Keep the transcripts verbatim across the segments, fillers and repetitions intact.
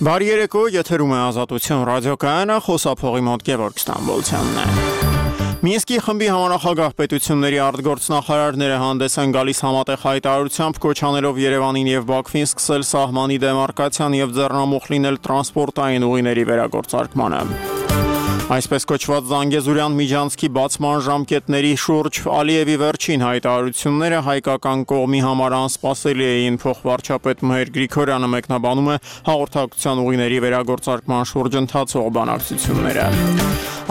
Բարի երեկո, եթերում է Ազատություն ռադիոկայանը, խոսափողի մոտ Գևորգ Ստամբոլցյանն է։ Մինսկի խմբի համանախագահ պետությունների արտգործնախարարները հանդես են գալիս համատեղ հայտարարությամբ կոչանելով Երևանին եւ Բաքվին սկսել սահմանի դեմարկացիան եւ ձեռնամուխ լինել տրանսպորտային ուղիների վերագործարկմանը։ Այսպես կոչված Զանգեզուրյան միջանցքի բացման ժամկետների շուրջ Ալիևի վերջին հայտարարությունները հայկական կողմի համար անսպասելի էին, փոխվարչապետ Մհեր Գրիգորյանը մեկնաբանում է հաղորդակցության ուղիների վերագործարկման շուրջ ընթացող բանակցությունները։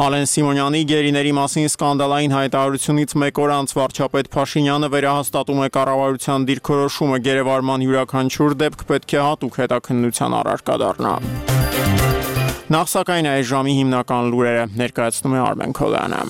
Ալեն Սիմոնյանի գերիների մասին սկանդալային հայտարարությունից մեկ օր անց վարչապետ Փաշինյանը վերահաստատում է կառավարության դիրքորոշումը գերեվարման յուրաքանչյուր դեպք պետք է հատուկ հետաքննության առարկա դառնա։ Նախ սակայն այս ժամի հիմնական լուրերը ներկայացնում է Արմեն Քոլյանը։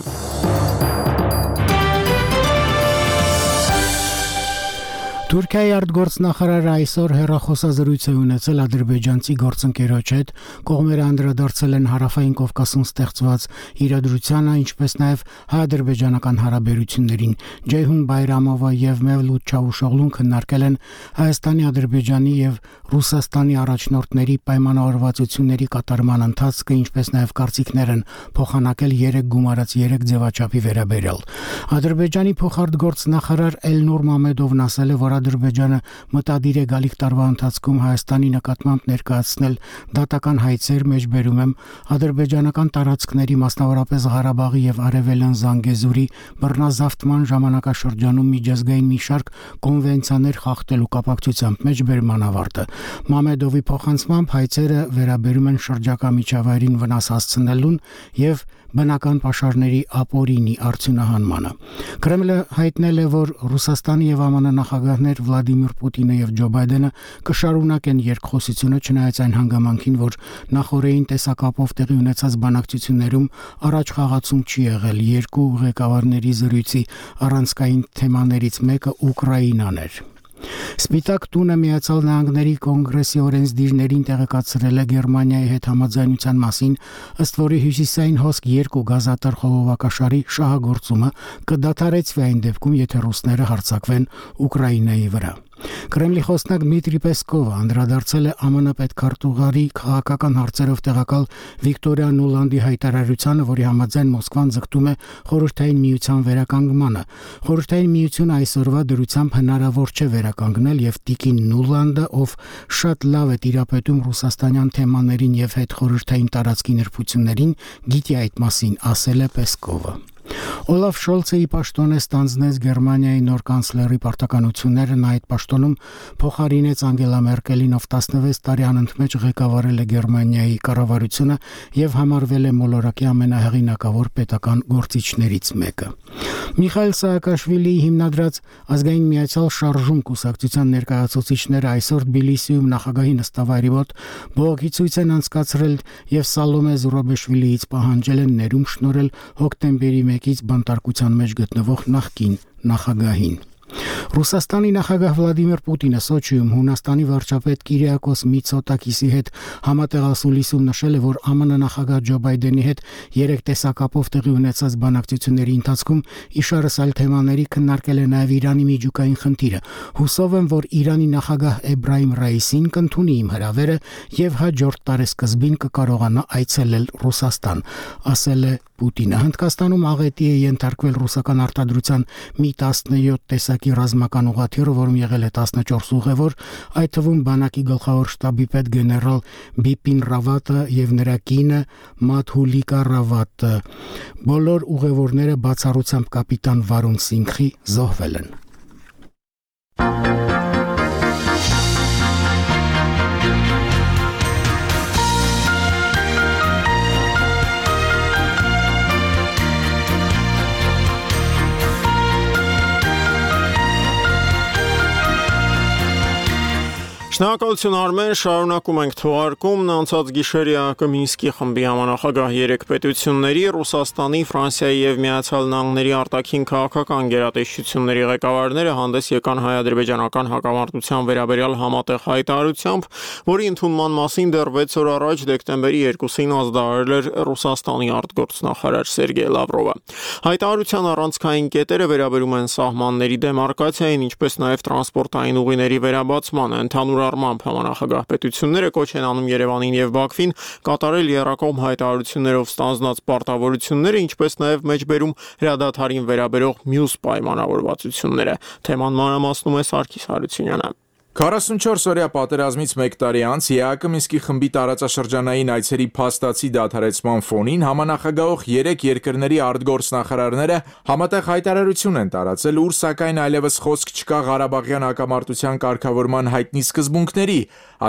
Թուրքիայի արտգործնախարարը այսօր հեռախոսազրույց է ունեցել ադրբեջանցի գործընկերոջ հետ, կողմերը անդրադարձել են Հարավային Կովկասում ստեղծված իրադրությանը, ինչպես նաև հայ-ադրբեջանական հարաբերություններին։ Ջեյհուն Բայրամովը եւ Մևլութ Չավուշօղլուն քննարկել են Հայաստանի, Ադրբեջանի եւ Ռուսաստանի առաջնորդների պայմանավորվածությունների կատարման ընթացքը, ինչպես նաև կարծիքներ են փոխանակել երեք գումարած երեք ձևաչափի վերաբերյալ։ Ադրբեջանի փոխարտգործնախարար Էլնուր Մամեդովն ասել է, որ Ադրբեջանը մտադիր է գալիք տարվա ընթացքում Հայաստանի նկատմամբ ներկայացնել դատական հայցեր, մեջբերում եմ ադրբեջանական տարածքների, մասնավորապես Ղարաբաղի եւ Արևելյան Զանգեզուրի բռնազավթման ժամանակաշրջանում միջազգային մի շարք կոնվենցիաներ խախտելու կապակցությամբ, մեջբերման ավարտը։ Մամեդովի փոխանցմամբ հայցերը վերաբերում են շրջակա միջավայրին վնաս հասցնելուն եւ բնական պաշարների ապօրինի արդյունահանմանը։ Կրեմլը հայտնել է, որ Ռուսաստանի եւ ԱՄՆ նախագահներ Վլադիմիր Պուտինը եւ Ջո Բայդենը կշարունակեն երկխոսությունը, չնայած այն հանգամանքին, որ նախորդային տեսակապով տեղի ունեցած բանակցություններում առաջ խաղացում չի եղել։ Երկու ղեկավարների զրույցի առանցքային թեմաներից մեկը Ուկրաինան էր։ Սպիտակ տունը Միացյալ Նահանգների կոնգրեսի օրենսդիրներին տեղեկացրել է Գերմանիայի հետ համաձայնության մասին, ըստ որի հյուսիսային հոսք երկու գազատար խողովակաշարի շահագործումը կդադարեցվի այն դեպքում, եթե ռուսները հարձակվեն Ուկրաինայի վրա։ Կրեմլի խոսնակ Դմիտրի Պեսկովը անդրադարձել է ԱՄՆ պետքարտուղարի քաղաքական հարցերով տեղակալ Վիկտորիա Նուլանդի հայտարարությանը, որի համաձայն Մոսկվան ձգտում է Խորհրդային Միության վերականգնմանը։ Խորհրդային Միությունը այսօրվա դրությամբ հնարավոր չէ վերականգնել եւ տիկին Նուլանդը, ով շատ լավ է տիրապետում ռուսաստանյան թեմաներին եւ հետխորհրդային տարածքի նրբություններին, գիտի այդ մասին, ասել է Պեսկովը։ Օլաֆ Շոլցը ի պաշտոն է ստանձնեց Գերմանիայի նոր կանցլերի պարտականությունները, նա այդ պաշտոնում փոխարինեց Անգելա Մերկելին, ով տասնվեց տարի անընդմեջ ղեկավարել է Գերմանիայի կառավարությունը եւ համարվել է մոլորակի ամենահեղինակավոր պետական գործիչներից մեկը։ Միխայել Սաակաշվիլիի հիմնադրած Ազգային միացյալ շարժում կուսակցության ներկայացուցիչները այսօր Թբիլիսիում նախագահի նստավայրի մոտ բողոքի ցույց են անցկացրել եւ Սալոմե Զուրաբեշվիլիից պահանջել են ներում շնորհել հոկտեմբերի մեկից բանտարկության մեջ գտնվող նախկին նախագահին։ Ռուսաստանի նախագահ Վլադիմիր Պուտինը Սոչիում Հունաստանի վարչապետ Կիրիակոս Միցոտակիսի հետ համատեղասուլիսում նշել է, որ ԱՄՆ նախագահ Ջո Բայդենի հետ երեք տեսակապով տեղի ունեցած բանակցությունների ընթացքում իշարս այլ թեմաների քննարկել է նաև Իրանի միջուկային խնդիրը։ Հուսով եմ, որ Իրանի նախագահ Էբրահիմ Ռայիսին կընդունի իմ հրավերը եւ հաջորդ տարեսկզբին կկարողանա այցելել Ռուսաստան, ասել է Պուտինը։ Հնդկաստանում աղետի է ենթարկվել ռուսական արտադրության մի տասնյոթ տեսակի ռազմական ուղղաթիռը, որում եղել է տասնչորս ուղևոր, այդ թվում բանակի գլխավոր շտաբի պետ գեներալ Բիպին Ռավատը եւ նրա կինը Մադհուլիկա Ռավատը։ Բոլոր ուղևորները բացառությամբ կապիտան Վարուն Սինգխի զոհվել են։ Շնորհակալություն Արմեն, շարունակում ենք թողարկումն անցած գիշերը Մինսկի խմբի համանախագահ երեք պետությունների Ռուսաստանի, Ֆրանսիայի եւ Միացյալ Նահանգների արտաքին քաղաքական գերատեսչությունների ղեկավարները հանդես եկան հայ-ադրբեջանական հակամարտության վերաբերյալ համատեղ հայտարարությամբ, որի ընդունման մասին դեռ վեց օր առաջ դեկտեմբերի երկուսին ազդարարել էր Ռուսաստանի արտգործնախարար Սերգեյ Լավրովը։ Հայտարարության առանցքային կետերը վերաբերում են սահմանների դեմարկացիային, ինչպես նաեւ տրանսպորտային ուղիների վերաբացմանը, ընդհանուր ներառմամբ համանախագահ պետությունները կոչ են անում Երևանին եւ Բաքվին կատարել եռակողմ հայտարարություններով ստանձնած պարտավորությունները, ինչպես նաեւ մեջբերում հրադադարին վերաբերող մյուս պայմանավորվածությունները։ Թեման մանրամասնում է Սարգիս Հարությունյանը։ քառասունչորս օրյա պատերազմից մեկ տարի անց ԵԱԿ Մինսկի խմբի տարածաշրջանային այցերի փաստացի դադարեցման ֆոնին համանախագահող երեք երկրների արտգործնախարարները համատեղ հայտարարություն են տարածել, ուր սակայն այլևս խոսք չկա Ղարաբաղյան հակամարտության կարգավորման հայտնի սկզբունքների,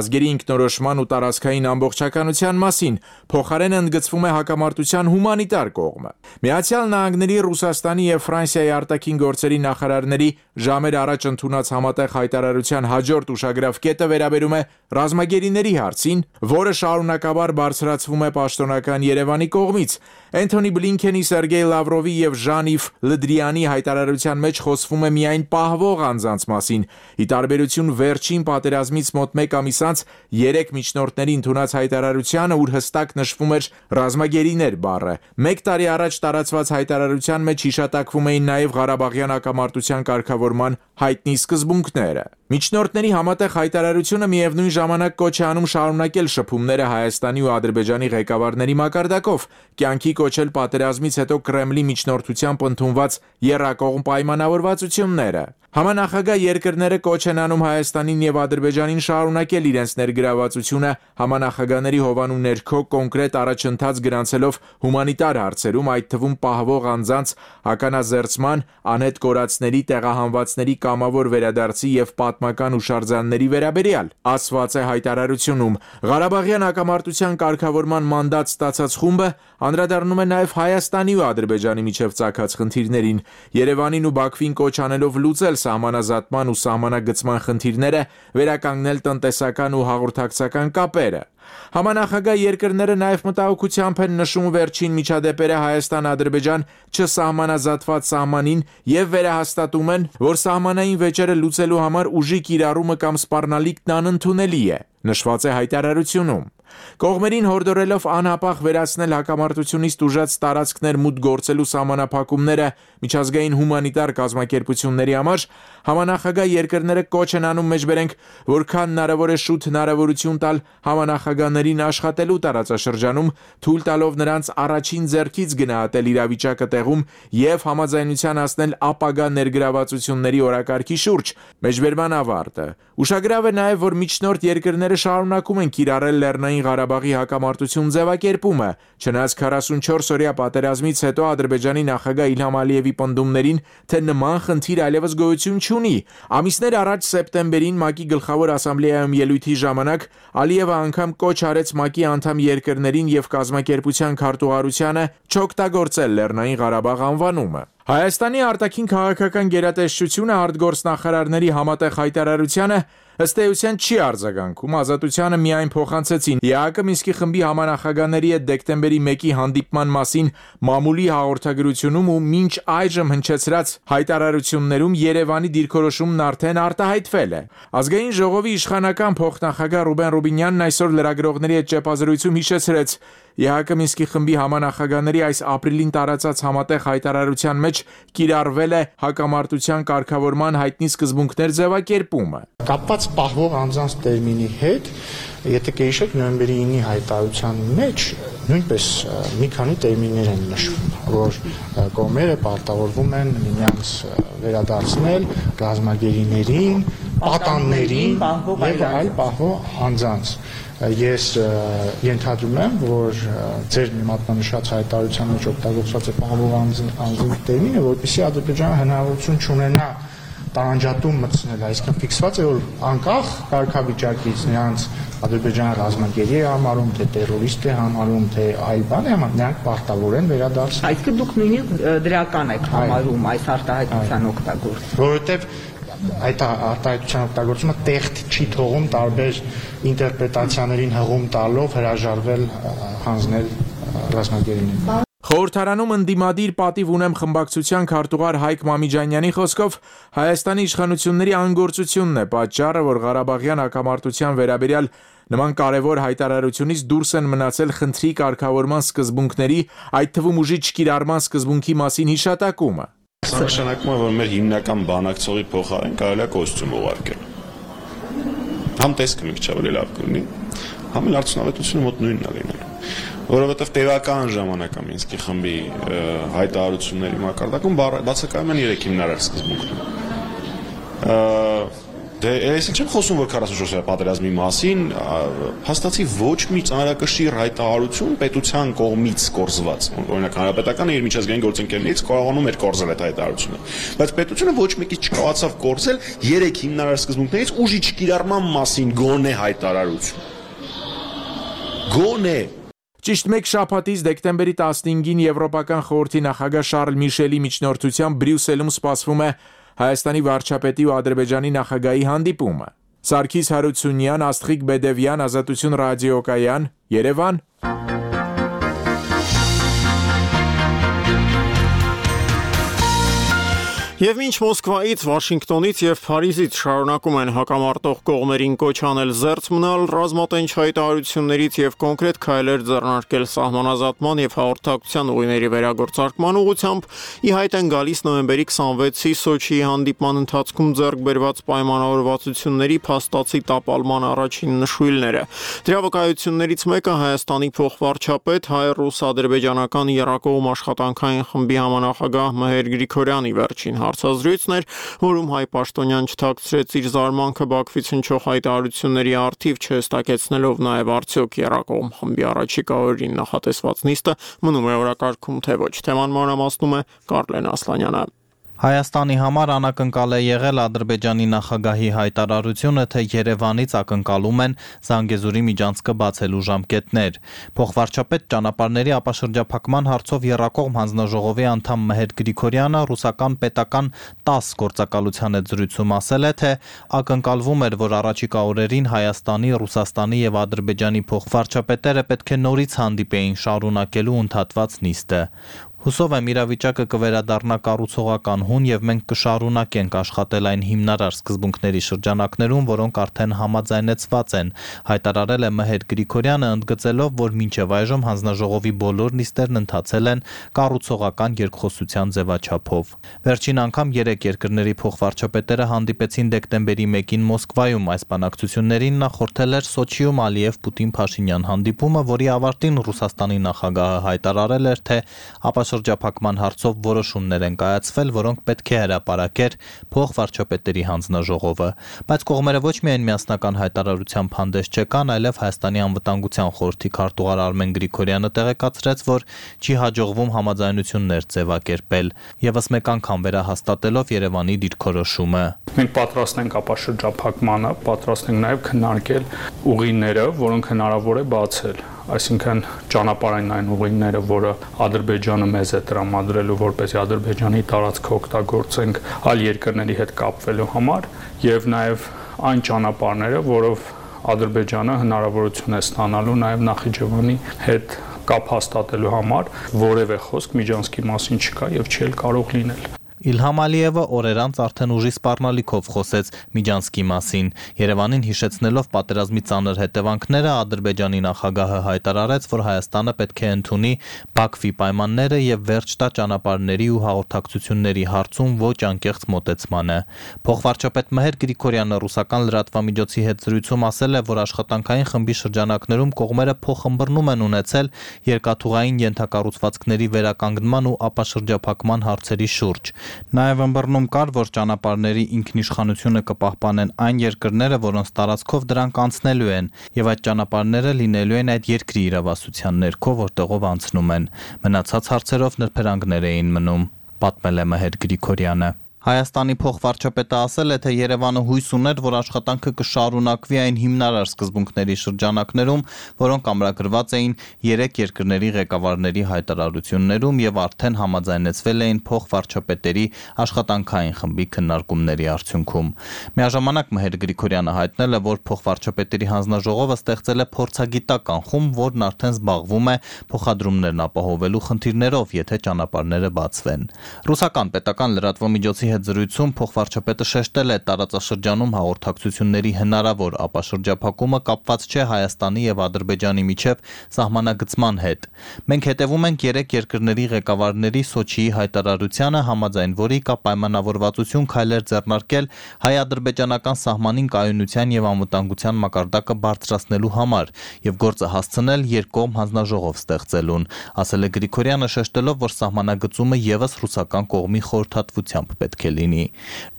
ազգերի ինքնորոշման ու տարածքային ամբողջականության մասին, փոխարենը ընդգծվում է հակամարտության հումանիտար կողմը։ Միացյալ Նահանգների, Ռուսաստանի եւ Ֆրանսիայի արտաքին գործերի նախարարների ժամեր առաջ ընդունած համատեղ հայտարարության հաջորդ ուշագրավ կետը վերաբերում է ռազմագերիների հարցին, որը շարունակաբար բարձրացվում է պաշտոնական Երևանի կողմից։ Էնթոնի Բլինքենի, Սերգեյ Լավրովի եւ Ժան-Իվ Լդրյանի հայտարարության մեջ խոսվում է միայն պահվող անձանց մասին, ի տարբերություն վերջին պատերազմից մոտ մեկ ամիս անց երեք միջնորդների ընդունած հայտարարությանը, ուր հստակ նշվում էր ռազմագերիներ բառը։ Մեկ տարի առաջ տարածված հայտարարության մեջ հիշատակվում էին նաեւ Ղարաբաղյան հակամարտության կարգավորման հայտնի սկզբունքները։ Միջնորդների համատեղ հայտարարությունը միևնույն ժամանակ կոչ է անում շարունակել շփումները Հայաստանի ու Ադրբեջանի ղեկավարների մակարդակով, կյանքի կոչել պատերազմից հետո Կրեմլի միջնորդությամբ ընդունված եռակողմ պայմանավորվածությունները։ Համանախագահ երկրները կոչ են անում Հայաստանին եւ Ադրբեջանին շարունակել իրենց ներգրավվածությունը համանախագահների հովանու ներքո կոնկրետ առաջընթաց գրանցելով հումանիտար հարցերում, այդ թվում պահվող անձանց ականազերծման, անհետ կորածների, տեղահանվածների կամավոր վերադարձի եւ պատմական հուշարձանների վերաբերյալ, ասված է հայտարարությունում։ Ղարաբաղյան հակամարտության կարգավորման մանդատ ստացած խումբը անդրադառնում է նաեւ Հայաստանի ու Ադրբեջանի միջև ծագած խնդիրներին, Երևանին ու Բաքվին կոչ անելով լուծել սահմանազատման ու սահմանագծման խնդիրները, վերականգնել տնտեսական ու հաղորդակցական կապերը։ Համանախագահ երկրները նաև մտահոգությամբ են նշում վերջին միջադեպերը Հայաստան-Ադրբեջան չսահմանազատված սահմանին եւ վերահաստատում են, որ սահմանային վեճերը լուծելու համար ուժի կիրառումը կամ սպառնալիքն անընդունելի է, նշված է հայտարարությունում։ Կողմերին հորդորելով անհապաղ վերացնել հակամարտությունից տուժած տարածքներ մուտք գործելու սահմանափակումները միջազգային հումանիտար կազմակերպությունների համար, համանախագահ երկրները կոչ են անում մեջբերենք, որքան հնարավոր է շուտ հնարավորություն տալ համանախագահներին աշխատելու տարածաշրջանում, թույլ տալով նրանց առաջին ձեռքից գնահատել իրավիճակը տեղում եւ համաձայնության հասնել ապագա ներգրավվածությունների օրակարգի շուրջ։ Մեջբերման ավարտը։ Ուշագրավ է նաեւ, որ միջնորդ երկրները շարունակում են կիրառել Լեռնային Ղարաբաղի հակամարտություն ձևակերպումը, չնայած քառասունչորս օրյա պատերազմից հետո Ադրբեջանի նախագահ Իլհամ Ալիևի պնդումներին, թե նման խնդիր այլևս գոյություն չունի։ Ամիսներ առաջ սեպտեմբերին ՄԱԿ-ի գլխավոր ասամբլեայում ելույթի ժամանակ Ալիևը անգամ կոչ արեց ՄԱԿ-ի անդամ երկրներին եւ կազմակերպության քարտուղարությանը չօգտագործել Լեռնային Ղարաբաղ անվանումը։ Հայաստանի արտաքին քաղաքական գերատեսչությունը արտգործնախարարների համատեղ հայտարարությանը ըստ էության չի արձագանքում, ազատությանը միայն փոխանցեցին ԵԱԿ Մինսկի խմբի համանախագահների հետ դեկտեմբերի մեկի հանդիպման մասին մամուլի հաղորդագրությունում ու մինչ այժմ հնչեցրած հայտարարություններում Երևանի դիրքորոշումն արդեն արտահայտվել է։ Ազգային ժողովի իշխանական փոխնախագահ Ռուբեն Ռուբինյանն այսօր լրագրողների հետ ճեպազրույցում հիշեցրեց ԵԱԿ Մինսկի խմբի համանախագահների այս ապրիլին տարածած համատեղ հայտարարության մեջ կիրառվել է հակամարտության կարգավորման հայտնի սկզբունքներ ձևակերպումը։ Կապված պահվող անձանց տերմինի հետ, եթե կհիշեք նոյեմբերի ինի հայտարարության մեջ նույնպես մի քանի տերմիններ են նշվում, որ կողմերը պարտավորվում են միմյանց վերադարձնել ռազմագերիներին, պատաններին եւ այլ պահվող անձանց։ Ես ենթադրում եմ, որ ձեր մատնանշած հայտարարության մեջ օգտագործված է պահվող անձի տերմինը, որպեսզի Ադրբեջանը հնարավորություն չունենա տարանջատում մտցնել, այսինքն ֆիքսված է, որ անկախ կարգավիճակից նրանց Ադրբեջանը ռազմագերի է համարում, թե տերորիստ է համարում, թե այլ բան է համարում, նրանք պարտավոր են վերադարձնել։ Այսինքն դուք նույնիսկ դրական եք համարում այս արտահայտության օգտագործումը։ Որովհետև այդ արտահայտության օգտագործումը տեխտ չի թողում տարբեր ինտերպրետացիաներին հղում տալով հրաժարվել հանձնել ռազմագերիներին։ Խորհրդարանում ընդդիմադիր պատիվ ունեմ խմբակցության քարտուղար Հայկ Մամիջանյանի խոսքով Հայաստանի իշխանությունների անգործությունն է պատճառը, որ Ղարաբաղյան հակամարտության վերաբերյալ նման կարևոր հայտարարությունից դուրս են մնացել խնդրի կարգավորման սկզբունքների, այդ թվում ուժի չկիրառման սկզբունքի մասին հիշատակումը։ Սա նշանակում է, որ մեր հիմնական բանակցողի փոխարեն կարելի է կոստյում ուղարկել։ համ տեսքը մի քիչ ավելի լավ կլինի, համ էլ արդյունավետությունը մոտ նույնն է լինելու։ Որովհետև տևական ժամանակ է Մինսկի խմբի հայտարարությունների մակարդակում բացակայում են երեք հիմնարար սկզբունքներ։ Դե ես չեմ խոսում, որ քառասունչորս պատերազմի մասին, հաստատի ոչ մի ծանրակշիռ հայտարարություն պետության կողմից կորզված, օրինակ հանրապետականը իր միջազգային գործընկերներից կարողանում էր կորզել այդ հայտարարությունը, բայց պետությունը ոչ մեկի չկարողացավ կորզել երեք հիմնարար սկզբունքներից ուժի չկիրառման մասին գոնե հայտարարություն։ Գոնե Ճիշտ մեկ շաբաթից դեկտեմբերի տասնհինգին Եվրոպական խորհրդի նախագահ Շարլ Միշելի միջնորդությամբ Բրյուսելում սպասվում է Հայաստանի վարչապետի ու Ադրբեջանի նախագահի հանդիպումը։ Սարգիս Հարությունյան, Աստղիկ Բեդևյան, Ազատություն ռադիոկայան, Երևան։ Եվ մինչ Մոսկվայից, Վաշինգտոնից եւ Փարիզից շարունակում են հակամարտող կողմերին կոչ անել զերծ մնալ, ռազմատենչ հայտարարություններից եւ կոնկրետ քայլեր ձեռնարկել սահմանազատման եւ հաղորդակցության ուղիների վերագործարկման ուղղությամբ, ի հայտ են գալիս նոյեմբերի քսանվեցի Սոչիի հանդիպման ընթացքում ձեռք բերված պայմանավորվածությունների փաստացի տապալման առաջին նշույլները։ Դրա վկայություններից մեկը Հայաստանի փոխվարչապետ հայ-ռուս-ադրբեջանական եռակողմ աշխատանքային խմբի համանախագահ Մհեր Գրիգորյանի վերջին հարցազրույցն էր, որում Հայ Պաշտոնյան չթաքցրեց իր զարմանքը Բաքվից հնչող հայտարարությունների առթիվ, չհստակեցնելով նաև արդյոք եռակողմ խմբի առաջիկա օրերին նախատեսված նիստը մնում է օրակարգում, թե ոչ։ Թեման մանրամասնում է Կարլեն Ասլանյանը։ Հայաստանի համար անակնկալ է եղել Ադրբեջանի նախագահի հայտարարությունը, թե Երևանից ակնկալում են Զանգեզուրի միջանցքը բացելու ժամկետներ։ Փոխվարչապետ ճանապարհների ապաշրջափակման հարցով եռակողմ հանձնաժողովի անդամ Մհեր Գրիգորյանը ռուսական պետական տաս գործակալության հետ զրույցում ասել է, թե ակնկալվում էր, որ առաջիկա օրերին Հայաստանի, Ռուսաստանի եւ Ադրբեջանի փոխվարչապետերը պետք է նորից հանդիպեին շարունակելու ընդհատված նիստը։ Հուսով եմ իրավիճակը կվերադառնա կառուցողական հուն եւ մենք կշարունակենք աշխատել այն հիմնարար սկզբունքների շրջանակներում, որոնք արդեն համաձայնեցված են, հայտարարել է Մհեր Գրիգորյանը, ընդգծելով, որ մինչև այժմ հանձնաժողովի բոլոր նիստերն ընթացել են կառուցողական երկխոսության ձևաչափով։ Վերջին անգամ երեք երկրների փոխվարչապետերը հանդիպեցին դեկտեմբերի մեկին Մոսկվայում, այս բանակցություններին նախորդել էր Սոչիում Ալիև-Պուտին-Փաշինյան հանդիպումը, որի ավարտին Ռուսաստանի նախագահը հայտարարել էր, թե շրջափակման հարցով որոշումներ են կայացվել, որոնք պետք է հրապարակեր փոխվարչապետերի հանձնաժողովը, բայց կողմերը ոչ միայն միասնական հայտարարությամբ հանդես չեկան, այլև Հայաստանի անվտանգության խորհրդի քարտուղար Արմեն Գրիգորյանը տեղեկացրեց, որ չի հաջողվում համաձայնություններ ձևակերպել, եւս մեկ անգամ վերահաստատելով Երևանի դիրքորոշումը։ Մենք պատրաստ ենք ապաշրջափակմանը, պատրաստ ենք նաեւ քննարկել ուղիները, որոնք հնարավոր է բացել, այսինքն ճանապարհային այն ուղիները, որը Ադրբեջանը մեզ է տրամադրելու, որպեսզի Ադրբեջանի տարածքը օգտագործենք այլ երկրների հետ կապվելու համար, եւ նաեւ այն ճանապարհները, որով Ադրբեջանը հնարավորություն է ստանալու նաեւ Նախիջևանի հետ կապ հաստատելու համար, որևէ խոսք Միջանցքի մասին չկա եւ չի էլ կարող լինել։ Իլհամ Ալիևը օրեր անց արդեն ուժի սպառնալիքով խոսեց Միջանցքի մասին։ Երևանին հիշեցնելով պատերազմի ծանր հետևանքները, Ադրբեջանի նախագահը հայտարարեց, որ Հայաստանը պետք է ընդունի Բաքվի պայմանները եւ վերջ տա ճանապարհների ու հաղորդակցությունների հարցում ոչ անկեղծ մոտեցմանը։ Փոխվարչապետ Մհեր Գրիգորյանը ռուսական լրատվամիջոցի հետ զրույցում ասել է, որ աշխատանքային խմբի շրջանակներում կողմերը փոխըմբռնում են ունեցել երկաթուղային ենթակառուցվածքների վերականգնման ու ապաշրջափակման հարցերի շուրջ։ Նաև ըմբռնում կար, որ ճանապարհների ինքնիշխանությունը կպահպանեն այն երկրները, որոնց տարածքով դրանք անցնելու են, եւ այդ ճանապարհները լինելու են այդ երկրի իրավասության ներքո, որտեղով անցնում են։ Մնացած հարցերով նրբերանգներ էին մնում, պատմել է Մհեր Գրիգորյանը։ Հայաստանի փոխվարչապետը ասել է, թե Երևանը հույս ուներ, որ աշխատանքը կշարունակվի այն հիմնարար սկզբունքների շրջանակներում, որոնք ամրագրված էին երեք երկրների ղեկավարների հայտարարություններում եւ արդեն համաձայնեցվել էին փոխվարչապետերի աշխատանքային խմբի քննարկումների արդյունքում։ Միաժամանակ Մհեր Գրիգորյանը հայտնել է, որ փոխվարչապետերի հանձնաժողովը ստեղծել է փորձագիտական խումբ, որն արդեն զբաղվում է փոխադրումներն ապահովելու խնդիրներով, եթե ճանապարհները բացվեն։ Ռուսական պետական լրատվամիջոցի հետ զրույցում փոխվարչապետը շեշտել է տարածաշրջանում հաղորդակցությունների հնարավոր ապաշրջափակումը կապված չէ Հայաստանի եւ Ադրբեջանի միջև սահմանագծման հետ։ Մենք հետևում ենք երեք երկրների ղեկավարների Սոչիի հայտարարությանը, համաձայն որի կա պայմանավորվածություն քայլեր ձեռնարկել հայ-ադրբեջանական սահմանին կայունության եւ անվտանգության մակարդակը բարձրացնելու համար եւ գործը հասցնել երկկողմ հանձնաժողով ստեղծելուն, ասել է Գրիգորյանը, շեշտելով, որ սահմանագծումը եւս ռուսական կողմի խորհրդատվությամբ պետք է լինի։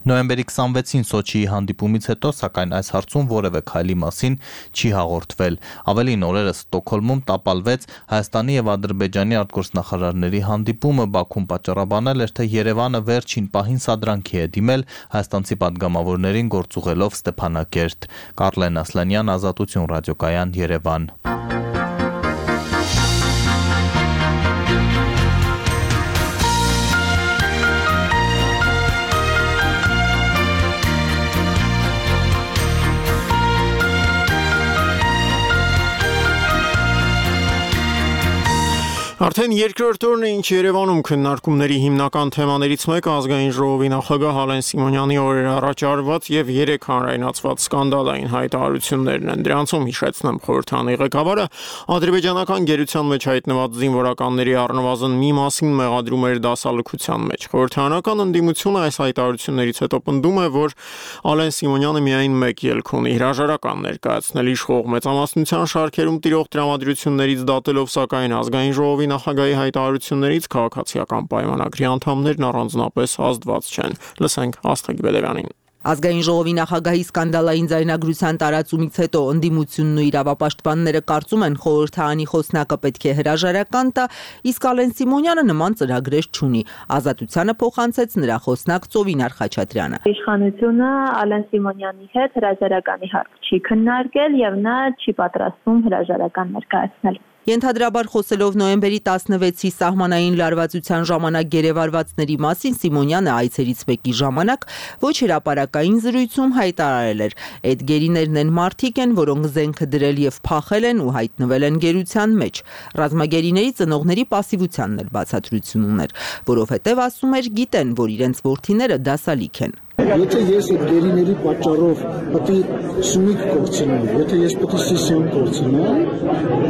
Նոյեմբերի քսանվեցին Սոչիի հանդիպումից հետո, սակայն այս հարցում որևէ քայլի մասին չի հաղորդվել։ Ավելին, օրերս Ստոկհոլմում տապալվեց Հայաստանի եւ Ադրբեջանի արտգործնախարարների հանդիպումը, Բաքուն պատճառաբանել էր, թե Երևանը վերջին պահին սադրանքի է դիմել հայաստանցի պատգամավորներին գործուղելով Ստեփանակերտ։ Կարլեն Ասլանյան, Ազատություն, ռադիոկայան, Երևան։ Արդեն երկրորդ օրն է, ինչ Երևանում քննարկումների հիմնական թեմաներից մեկը ազգային ժողովի նախագահ Ալեն Սիմոնյանի օրեր առաջ արված եւ երեք հանրայնացված սկանդալային հայտարարություններն են։ Դրանցում հիշեցնեմ խորհրդանի ղեկավարը ադրբեջանական գերության մեջ հայտնված զինվորականների առնվազն մի մասին մեղադրում էր դասալքության մեջ։ Խորհրդանական ընդդիմությունը այս հայտարարություններից հետո պնդում է, որ Ալեն Սիմոնյանը միայն մեկ ելք ունի՝ հրաժարական ներկայացնել իշխող մեծամասնության շարքերում տիրող տրամադրություններից դատելով, սակայն ազգային ժողովի նախագահի հայտարարություններից քաղաքացիական պայմանագրի անդամներն առանձնապես ազդված չեն։ Լսենք Աստղիկ Բեդևյանին։ Ազգային ժողովի նախագահի սկանդալային ձայնագրության տարածումից հետո ընդդիմությունն ու իրավապաշտպանները կարծում են խորհրդարանի խոսնակը պետք է հրաժարական տա, իսկ Ալեն Սիմոնյանը նման ծրագրեր չունի։ Ազատությանը փոխանցեց նրա խոսնակ Ծովինար Խաչատրյանը։ Իշխանությունը Ալեն Սիմոնյանի հետ հրաժարականի հարց չի քննարկել եւ նա չի պատրաստվում հրաժարական ներկայացնել։ Ենթադրաբար խոսելով նոյեմբերի տասնվեցի սահմանային լարվածության ժամանակ գերեվարվածների մասին Սիմոնյանը այցերից մեկի ժամանակ ոչ հրապարակային զրույցում հայտարարել էր. «Այդ գերիներն են մարդիկ են, որոնք զենքը դրել եւ փախել են ու հայտնվել են գերության մեջ»։ Ռազմագերիների ծնողների պասիվությանն էլ բացատրություն ուներ, որովհետեւ ասում էր գիտեն, որ իրենց որդիները դասալիք են։ Եթե ես այդ գերիների պատճառով պետք է սումիկ կորցնեմ, եթե ես պետք է սիսիոն կորցնեմ,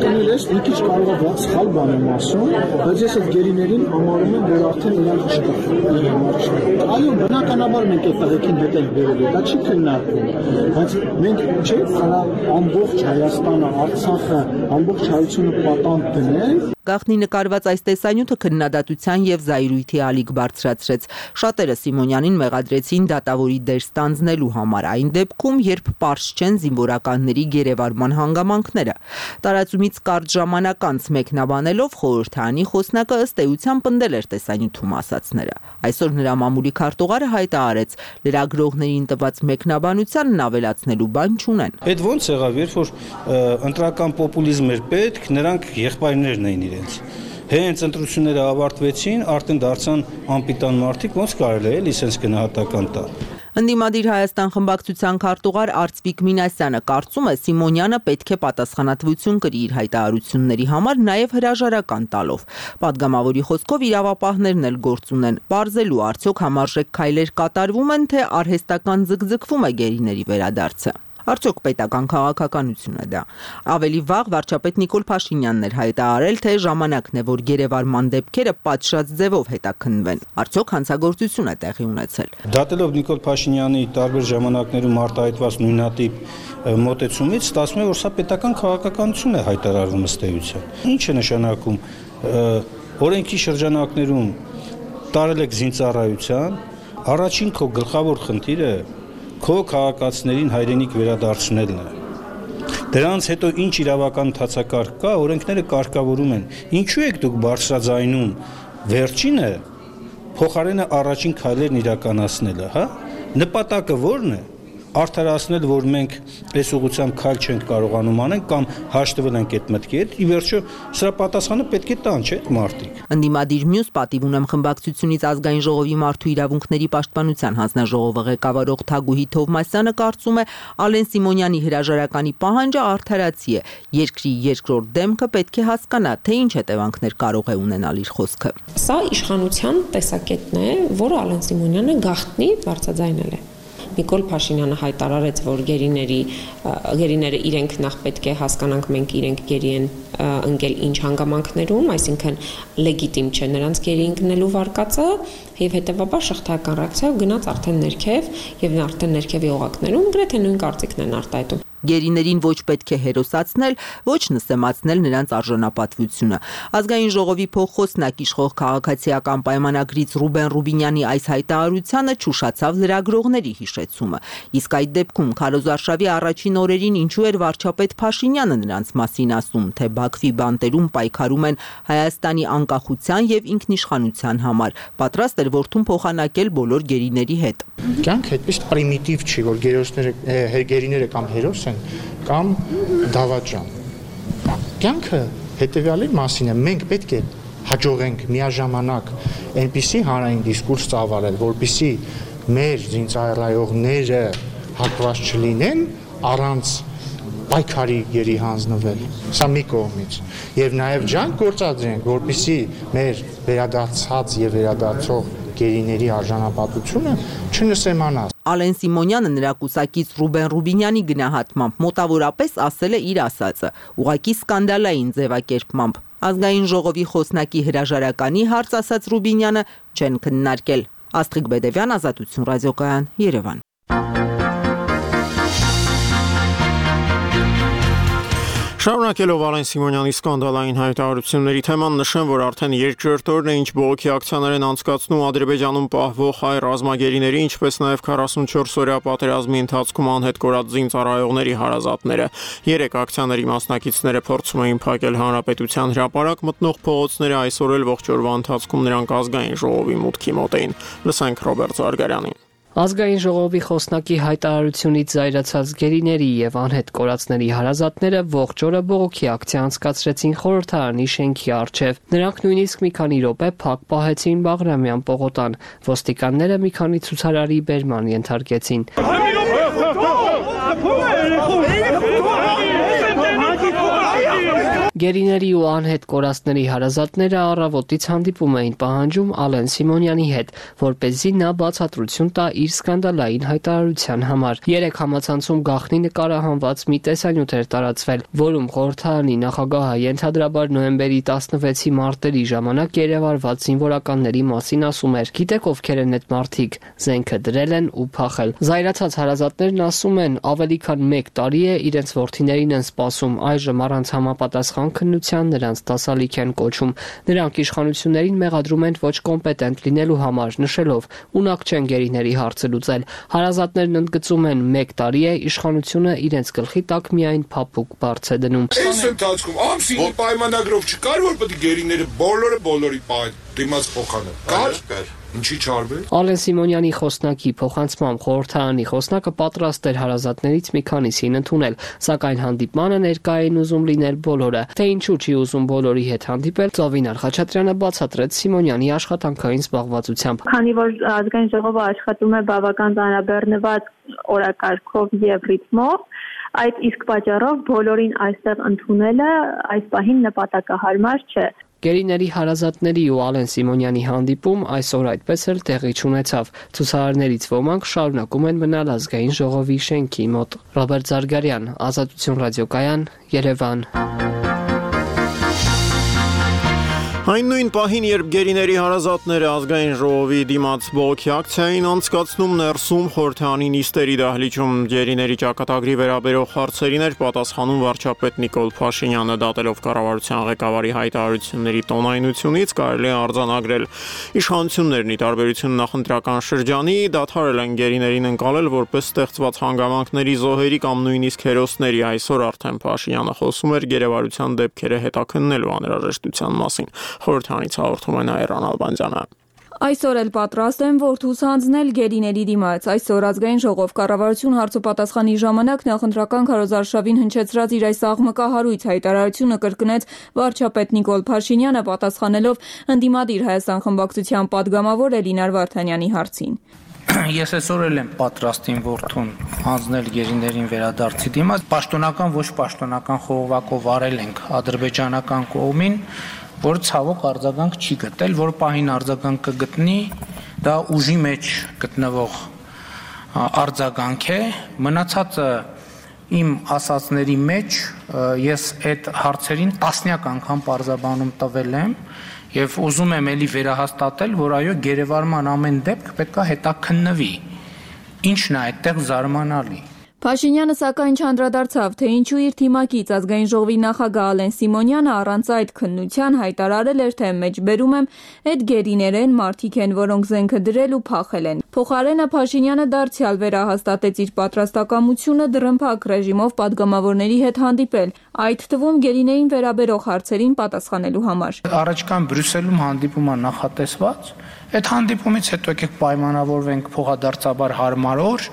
կնել ես մի քիչ կարող է ված սխալ բան եմ ասում, բայց ես այդ գերիներին համարում եմ, որ արդեն իրանք չկա, իր համար չկա։ Այո, բնականաբար մենք այդ տղեկին հետ ենք բերել, դա չի քննարկվում, բայց մենք չէ՞ կարող ամբողջ Հայաստանը, Արցախը, ամբողջ հայությունը պատանդ դնենք։ Գաղտնի նկարված այս տեսանյութը քննադատության եւ զայրույթի ալիք բարձրացրեց։ Շատերը Սիմոնյանին մեղադրեցին դատավորի դեր ստանձնելու համար այն դեպքում, երբ պարզ չեն զինվորականների գերեվարման հանգամանքները։ Տարածումից կարճ ժամանակ անց մեկնաբանելով խորհրդարանի խոսնակը ըստ էության պնդել էր տեսանյութում ասածները։ Այսօր նրա մամուլի քարտուղարը հայտարարեց, լրագրողներին տված մեկնաբանությանն ավելացնելու բան չունեն։ Այդ ո՞նց եղավ, երբ որ ընտրական պոպուլիզմ էր պետք, նրանք եղբայրներն էին իրենց։ Հենց ընտրությունները ավարտվեցին, արդեն դարձան անպիտան մարդիկ, ոնց կարելի է էլի սենց գնահատական տալ։ Ընդդիմադիր Հայաստան խմբակցության քարտուղար Արծվիկ Մինասյանը կարծում է Սիմոնյանը պետք է պատասխանատվություն կրի իր հայտարարությունների համար, նաև հրաժարական տալով։ Պատգամավորի խոսքով իրավապահներն էլ գործ ունեն, բարձելու արդյոք համարժեք քայլեր կատարվում են, թե արհեստական ձգձգվում է գերիների վերադարձը։ Արդյոք պետական քաղաքականություն է դա։ Ավելի վաղ վարչապետ Նիկոլ Փաշինյանն էր հայտարարել, թե ժամանակն է, որ գերեվարման դեպքերը պատշաճ ձևով հետաքննվեն։ Արդյոք հանցագործություն է տեղի ունեցել։ Դատելով Նիկոլ Փաշինյանի տարբեր ժամանակներում արտահայտված նույնատիպ մոտեցումից, ստացվում է, որ սա պետական քաղաքականություն է հայտարարվում ըստ էության։ Ինչ է նշանակում օրենքի շրջանակներում տարել եք զինծառայության, առաջին քո գլխավոր խնդիրը քո քաղաքացիներին հայրենիք վերադարձնելն է։ Դրանց հետո ինչ իրավական ընթացակարգ կա, օրենքները կարգավորում են։ Ինչու եք դուք բարձրաձայնում վերջինը փոխարենը առաջին քայլերն իրականացնելը, հա? Նպատակը ո՞րն է։ արդարացնել, որ մենք այս ուղղությամբ քայլ չենք կարողանում անել կամ հաշտվել ենք այդ մտքի հետ, ի վերջո սրա պատասխանը պետք է տան, չէ՞, մարդիկ։ Ընդդիմադիր մյուս պատիվ ունեմ խմբակցությունից ազգային ժողովի մարդու իրավունքների պաշտպանության հանձնաժողովը ղեկավարող Թագուհի Թովմասյանը կարծում է, Ալեն Սիմոնյանի հրաժարականի պահանջը արդարացի է։ Երկրի երկրորդ դեմքը պետք է հասկանա, թե ինչ հետևանքներ կարող է ունենալ իր խոսքը։ Սա իշխանության տեսակետն է, որը Ալեն Սիմոնյանը գաղտնի բարձրաձայնել է։ Նիկոլ Փաշինյանը հայտարարեց, որ գերիների գերիները իրենք նախ պետք է հասկանանք, մենք իրենք գերի են ընկել ինչ հանգամանքներում, այսինքն լեգիտիմ չէ նրանց գերի ընկնելու վարկածը, եւ հետեւաբար շղթայական ռեակցիայով գնաց արդեն ներքև եւ արդեն ներքևի օղակներում գրեթե նույն կարծիքն են արտահայտում։ Գերիներին ոչ պետք է հերոսացնել, ոչ նսեմացնել նրանց արժանապատվությունը։ Ազգային ժողովի փոխխոսնակ իշխող քաղաքացիական պայմանագրից Ռուբեն Ռուբինյանի այս հայտարարությանը ճուշացավ լրագրողների հիշեցումը։ Իսկ այդ դեպքում քարոզարշավի առաջին օրերին ինչու էր վարչապետ Փաշինյանը նրանց մասին ասում, թե Բաքվի բանտերում պայքարում են Հայաստանի անկախության եւ ինքնիշխանության համար, պատրաստ էր որդուն փոխանակել բոլոր գերիների հետ։ Կյանքը այդպես պրիմիտիվ չի, որ գերոսները գերիները կամ հերոս են կամ դավաճան։ Կյանքը հետևյալի մասին է, մենք պետք է հաջողենք միաժամանակ այնպիսի հանրային դիսկուրս ծավալել, որպեսզի մեր զինծառայողները հակված չլինեն առանց պայքարի գերի հանձնվել։ Սա մի կողմից։ Եվ նաև ջանք գործադրենք, որպեսզի մեր վերադարձած եւ վերադարձող գերիների արժանապատվությունը չնսեմանա։ Ալեն Սիմոնյանը նրա կուսակից Ռուբեն Ռուբինյանի գնահատմամբ մոտավորապես ասել է իր ասածը, ուղղակի սկանդալային ձևակերպմամբ։ Ազգային ժողովի խոսնակի հրաժարականի հարց ասաց Ռուբինյանը չեն քննարկել։ Աստղիկ Բեդևյան, Ազատություն ռադիոկայան, Երևան։ Շարունակելով Ալեն Սիմոնյանի սկանդալային հայտարարությունների թեման նշեմ, որ արդեն երկրորդ օրն է, ինչ բողոքի ակցիաներ են անցկացնում Ադրբեջանում պահվող հայ ռազմագերիների, ինչպես նաև քառասունչորս օրյա պատերազմի ընթացքում անհետ կորած զինծառայողների հարազատները։ Երեք ակցիաների մասնակիցները փորձում էին փակել հանրապետության հրապարակ մտնող փողոցները, այսօր էլ ողջ օրվա ընթացքում նրանք ազգային ժողովի մուտքի մոտ էին։ Լսենք Ռոբերտ Զարգարյանին։ Ազգային ժողովի խոսնակի հայտարարությունից զայրացած գերիների եւ անհետ կորածների հարազատները ողջ օրը բողոքի ակցիա անցկացրեցին խորհրդարանի շենքի առջև։ Նրանք նույնիսկ մի քանի րոպե փակ պահեցին Բաղրամյան պողոտան։ Ոստիկանները մի քանի ցուցարարի բերման ենթարկեցին։ Գերիների ու անհետ կորածների հարազատները առավոտից հանդիպում էին պահանջում Ալեն Սիմոնյանի հետ, որպեսզի նա բացատրություն տա իր սկանդալային հայտարարության համար։ Երեք համացանցում գաղտնի նկարահանված մի տեսանյութ էր տարածվել, որում խորհրդարանի նախագահը ենթադրաբար նոյեմբերի տասնվեցի մարտերի ժամանակ երևարված զինվորականների մասին ասում էր. «Գիտեք ովքեր են այդ մարդիկ, զենքը դրել են ու փախել»։ Զայրացած հարազատներն ասում են, ավելի քան մեկ տարի է իրենց որդիներին են սպասում, այժմ առանց համապատասխան քննության նրանց դասալիք են կոչում։ Նրանք իշխանություններին մեղադրում են ոչ կոմպետենտ լինելու համար, նշելով ունակ չեն գերիների հարցը լուծել։ Հարազատներն ընդգծում են մեկ տարի է իշխանությունը իրենց գլխի տակ միայն փափուկ բարձ է դնում։ Այս ընթացքում ամսի պայմանագրով չկար, որ պետք է գերիները բոլորը բոլորի պահեն դիմաց փոխանը։ Կար։ Ինչի չարվել։ Ալեն Սիմոնյանի խոսնակի փոխանցմամբ խորհրդարանի խոսնակը պատրաստ էր հարազատներից մի քանիսին ընդունել, սակայն հանդիպմանը ներկա էին ուզում լինել բոլորը։ Թե ինչու չի ուզում բոլորի հետ հանդիպել, Ծովինար Խաչատրյանը բացատրեց Սիմոնյանի աշխատանքային զբաղվածությամբ։ Քանի որ ազգային ժողովը աշխատում է բավական ծանրաբեռնված օրակարգով եւ ռիթմով, այդ իսկ պատճառով բոլորին այստեղ ընդունելը այս պահին նպատակահարմար չէ։ Գերիների հարազատների ու Ալեն Սիմոնյանի հանդիպում այսօր այդպես էլ տեղի չունեցավ։ Ցուցարարներից ոմանք շարունակում են մնալ ազգային ժողովի շենքի մոտ։ Ռոբերտ Զարգարյան, Ազատություն ռադիոկայան, Երևան։ Այն նույն պահին, երբ գերիների հարազատները ազգային ժողովի դիմաց բողոքի ակցիային անցկացնում ներսում խորհրդարանի նիստերի դահլիճում գերիների ճակատագրի վերաբերող հարցերին էր պատասխանում վարչապետ Նիկոլ Փաշինյանը, դատելով կառավարության ղեկավարի հայտարարությունների տոնայնությունից կարելի է արձանագրել իշխանություններն ի տարբերություն նախընտրական շրջանի դադարել են գերիներին ընկալել որպես ստեղծված հանգամանքների զոհերի կամ նույնիսկ հերոսների։ Այսօր արդեն Փաշինյանը խոսում էր գերեվարության դեպքերը հետաքննելու անհրաժեշտության մասին։ Խորհրդարանից հաղորդում է Նաիրա Նալբանդյանը։ Այսօր էլ պատրաստ են որդուս հանձնել գերիների դիմաց։ Այսօր ազգային ժողով կառավարություն հարցոպատասխանի ժամանակ նախընտրական քարոզարշավին հնչեցրած իր այս աղմկահարույց հայտարարությունը կրկնեց վարչապետ Նիկոլ Փաշինյանը, պատասխանելով ընդդիմադիր Հայաստան խմբակցության падգամավոր Էլինար Վարդանյանի հարցին։ Ես այսօր էլ եմ պատրաստ իմ որդուն հանձնել գերիներին վերադարձի դիմաց։ Պաշտոնական ոչ պաշտոնական խողովակով արել ենք ադրբեջանական կողմին, որ ցավոք արձագանք չի գտել, որ պահին արձագանք կգտնի, դա ուժի մեջ գտնվող արձագանք է։ Մնացածը իմ ասածների մեջ ես այդ հարցերին տասնյակ անգամ պարզաբանում տվել եմ եւ ուզում եմ ելի վերահաստատել, որ այո, գերեվարման ամեն դեպք պետք է հետաքննվի։ Ինչն է այդտեղ զարմանալի։ Փաշինյանը սակայն չանդրադարձավ, թե ինչու իր թիմակից ազգային ժողովի նախագահ Ալեն Սիմոնյանը առանց այդ քննության հայտարարել էր, թե մեջբերում եմ այդ գերիներեն մարդիկ են, որոնք զենքը դրել ու փախել են։ Փոխարենը Փաշինյանը դարձյալ վերահաստատեց իր պատրաստակամությունը դռնփակ ռեժիմով падգամավորների հետ հանդիպել, այդ թվում գերիներին վերաբերող հարցերին պատասխանելու համար։ Առաջկան Բրյուսելում հանդիպումը նախատեսված, այդ հանդիպումից հետո եկեք պայմանավորվենք փոխադարձաբար հարմար օր,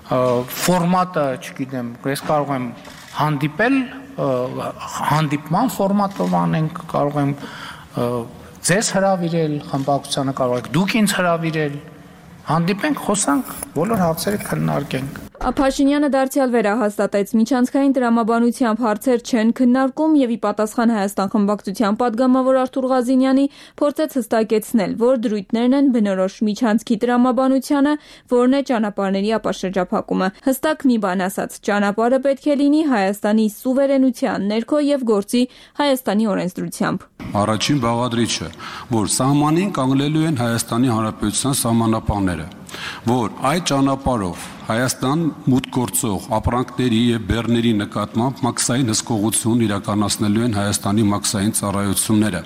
ֆորմատը, չգիտեմ, ես կարող եմ հանդիպել, հանդիպման ֆորմատով անենք, կարող եմ ձեզ հրավիրել, խմբակցությանը կարող եք դուք ինձ հրավիրել, հանդիպենք, խոսանք, բոլոր հարցերը քննարկենք։ Փաշինյանը դարձյալ վերահաստատեց, միջանցքային տրամաբանությամբ հարցեր չեն քննարկում եւ ի պատասխան Հայաստան խմբակցության падգամավոր Արթուր Ղազինյանի փորձեց հստակեցնել, որ դրույթներն են բնորոշ միջանցքի տրամաբանությանը, որն է ճանապարհների ապաշրջափակումը։ Հստակ մի բան ասած, ճանապարհը պետք է լինի Հայաստանի սուվերենության ներքո եւ գործի Հայաստանի օրենսդրությամբ։ Առաջին բաղադրիչը, որ սահմանին կանգնելու են Հայաստանի Հանրապետության սահմանապահները, որ այդ ճանապարհով Հայաստան մուտք գործող ապրանքների եւ բեռների նկատմամբ մաքսային հսկողություն իրականացնելու են Հայաստանի մաքսային ծառայությունները։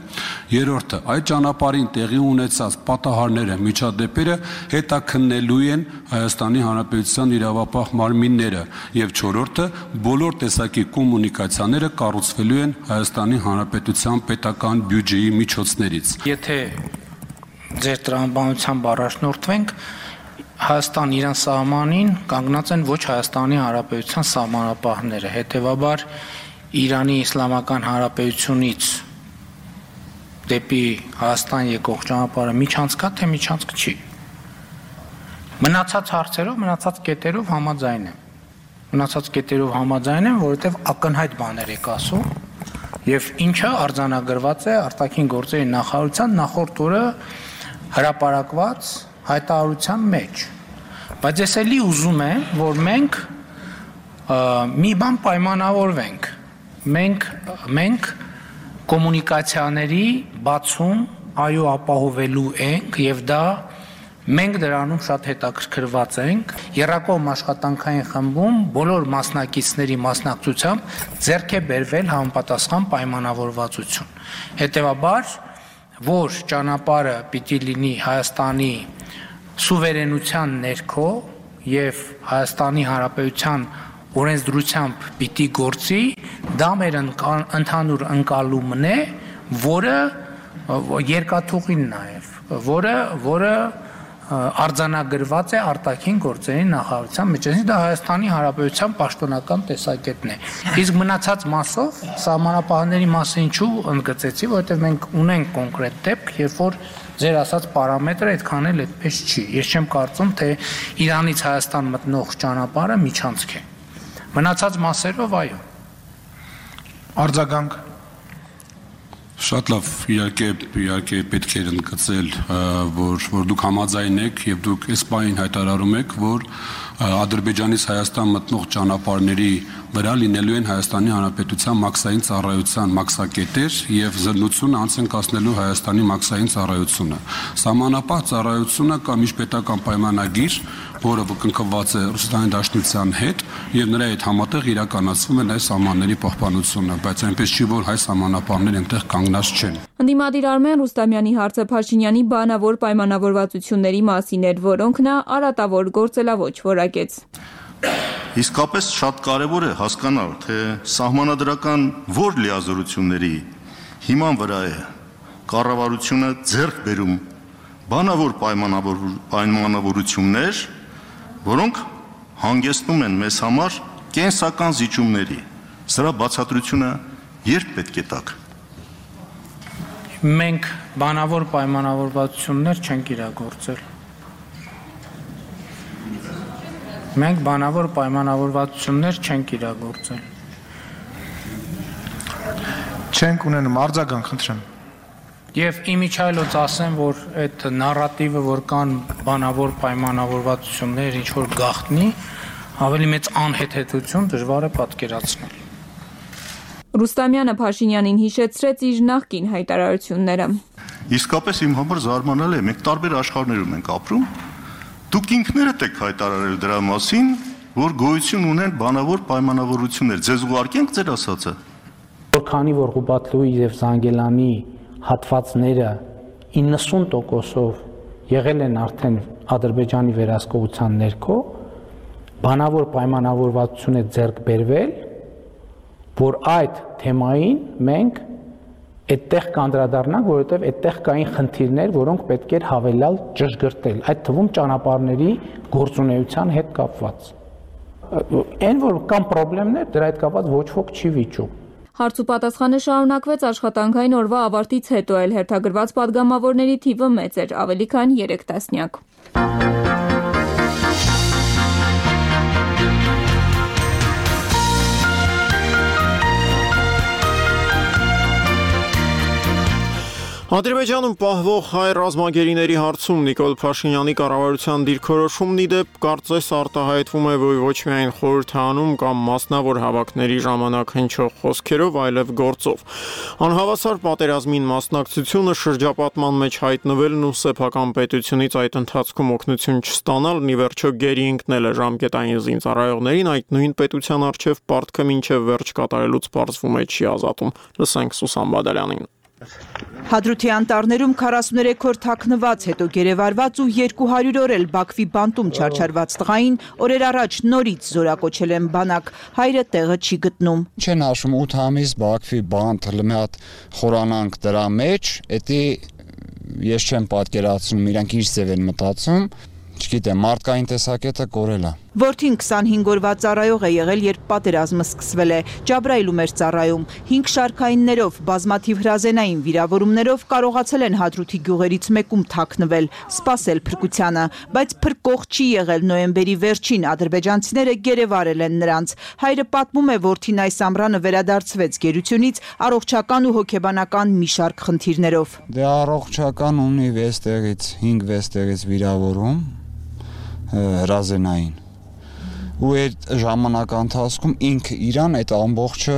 Երրորդը, այդ ճանապարհին տեղի ունեցած պատահարները, միջադեպերը հետաքննելու են Հայաստանի Հանրապետության իրավապահ մարմինները, եւ չորրորդը, բոլոր տեսակի կոմունիկացիաները կառուցվելու են Հայաստանի Հանրապետության պետական բյուջեի միջոցներից։ Եթե ձեր տրամաբանությամբ առաջնորդվենք, Հայաստան իրան սահմանին կանգնած են ոչ Հայաստանի Հանրապետության սահմանապահները, հետևաբար Իրանի Իսլամական Հանրապետությունից դեպի Հայաստան եկող ճանապարհը միջանցք է, թե միջանցք չի։ Մնացած հարցերով, մնացած կետերով համաձայն եմ։ Մնացած կետերով համաձայն եմ, որովհետև ակնհայտ բաներ եք ասում, եւ ինչը արձանագրված է արտաքին գործերի նախարարության նախորդ օրը հրապարակված հայտարարության մեջ, բայց ես էլի ուզում եմ, որ մենք մի բան պայմանավորվենք, մենք մենք կոմունիկացիաների բացում այո ապահովելու ենք եւ դա մենք դրանում շատ հետաքրքրված ենք, Եռակողմ աշխատանքային խմբում բոլոր մասնակիցների մասնակցությամբ ձեռք է բերվել համապատասխան պայմանավորվածություն։ Հետևաբար, որ ճանապարհը պիտի լինի Հայաստանի սուվերենության ներքո եւ Հայաստանի Հանրապետության օրենսդրությամբ պիտի գործի, դա մեր ընդհանուր ընկալումն է, որը երկաթուղին նաեւ, որը որը արձանագրված է արտաքին գործերի նախարարության մեջ, դա Հայաստանի Հանրապետության պաշտոնական տեսակետն է։ Իսկ մնացած մասով սահմանապահների մասը ինչու ընդգծեցի, որովհետև մենք ունենք կոնկրետ դեպք, երբ որ ձեր ասած պարամետրը այդքան էլ այդպես չի։ Ես չեմ կարծում, թե Իրանից Հայաստան մտնող ճանապարհը միջանցք է։ Մնացած մասերով այո։ Արձագանք Շատ լավ, իհարկե, իհարկե պետք է ընդգծել, որ որ դուք համաձայն եք եւ դուք այս բանին հայտարարում եք, որ Ադրբեջանից Հայաստան մտնող ճանապարհների վրա լինելու են Հայաստանի Հանրապետության մաքսային ծառայության մաքսակետեր եւ զննությունը անց են կասնելու Հայաստանի մաքսային ծառայությունը։ Սահմանապահ ծառայությունը կամ միջպետական պայմանագիր, որը կնքված է Ռուսաստանի Դաշնության հետ եւ նրա հետ համատեղ իրականացվում է այս սահմանների պահպանությունը, բայց այնպես չի, որ հայ սահմանապահները այնտեղ կանգնած չեն։ Ընդդիմադիր Արմեն Ռուստամյանի հարցը Փաշինյանի բանավոր պայմանավորվածությունների մասին էր, որոնք նա արատավոր գործելավոճ որակեց։ Իսկապես շատ կարևոր է հասկանալ, թե սահմանադրական որ լիազորությունների հիման վրա է կառավարությունը ձեռք բերում բանավոր պայմանավորություններ, որոնք հանգեցնում են մեզ համար կենսական զիջումների։ Սրա բացատրությունը երբ պետք է տաք։ Մենք բանավոր պայմանավորվածություններ չենք իրագործել։ Մենք բանավոր պայմանավորվածություններ չենք իրագործել։ Չենք ունենում, արձագանք խնդրեմ։ Եվ իմիջայլոց ասեմ, որ այդ նարատիվը, որ կան բանավոր պայմանավորվածություններ, ինչ որ գաղտնի, ավելի մեծ անհեթեթություն դժվար է պատկերացնել։ Ռուստամյանը Փաշինյանին հիշեցրեց իր նախկին հայտարարությունները։ Իսկապես իմ համար զարմանալի է, մենք տարբեր աշխարհներում ենք ապրում։ Դուք ինքներդ եք հայտարարել դրա մասին, որ գոյություն ունեն բանավոր պայմանավորություններ։ Ձեզ ուղարկենք ձեր ասածը։ Որքանի որ Ղուբատլուի եւ Զանգելանի հատվածները իննսուն տոկոսով եղել են արդեն Ադրբեջանի վերահսկողության ներքո, բանավոր պայմանավորվածություն է ձեռք բերվել, որ այդ թեմային մենք այդտեղ կանդրադառնանք, որովհետև այդտեղ կային խնդիրներ, որոնք պետք էր հավելյալ ճշգրտել, այդ թվում ճանապարհների գործունեության հետ կապված։ Այն որ կան խնդիրներ, դրա հետ կապված ոչ ոք չի վիճում։ Հարց ու պատասխանը շարունակվեց աշխատանքային օրվա ավարտից հետո, էլ հերթագրված պատգամավորների թիվը մեծ էր, ավելի քան երեք տասնյակ։ Ադրբեջանում պահվող հայ ռազմագերիների հարցում Նիկոլ Փաշինյանի կառավարության դիրքորոշումն ի դեպ կարծես արտահայտվում է ոչ միայն խորհրդանում կամ մասնավոր հավաքների ժամանակ հնչող խոսքերով, այլև գործով։ Անհավասար պատերազմին մասնակցությունը, շրջապատման մեջ հայտնվելն ու սեփական պետությունից այդ ընթացքում օգնություն չստանալն ի վերջո գերի ընկնել է ժամկետային զինծառայողներին, այդ նույն պետության առջև պարտքը մինչև վերջ կատարելուց պարզվում է չի ազատում։ Լսենք Սուսան Բադալյանին։ Հադրութի անտառներում քառասուներեք օր թաքնված, հետո գերեվարված ու երկու հարյուր օր էլ Բաքվի բանտում չարչարված տղային օրեր առաջ նորից զորակոչել են բանակ, հայրը տեղը չի գտնում։ Չեն հաշվում ութ ամիս Բաքվի բանտ մի հատ խորանանք դրա մեջ, էդի ես չեմ պատկերացնում իրանք ինչ ձև են մտածում, չգիտեմ, մարդկային տեսակետը կորել է։ Որդին քսանհինգ օրվա ծառայող է եղել, երբ պատերազմը սկսվել է։ Ջաբրայիլում էր ծառայում։ հինգ շարքայիններով, բազմաթիվ հրազենային վիրավորումներով կարողացել են Հադրութի գյուղերից մեկում թաքնվել, սպասել փրկությանը, բայց փրկող չի եղել։ Նոյեմբերի վերջին ադրբեջանցիները գերեվարել են նրանց։ Հայրը պատմում է, որդին այս ամռանը վերադարձվեց գերությունից առողջական ու հոգեբանական մի շարք խնդիրներով։ Դե առողջական ունի վեց տեղից, հինգ վեց տեղից վիրավորում հրազենային։ Ու այդ ժամանակ ընթացքում ինքը իրան այդ ամբողջը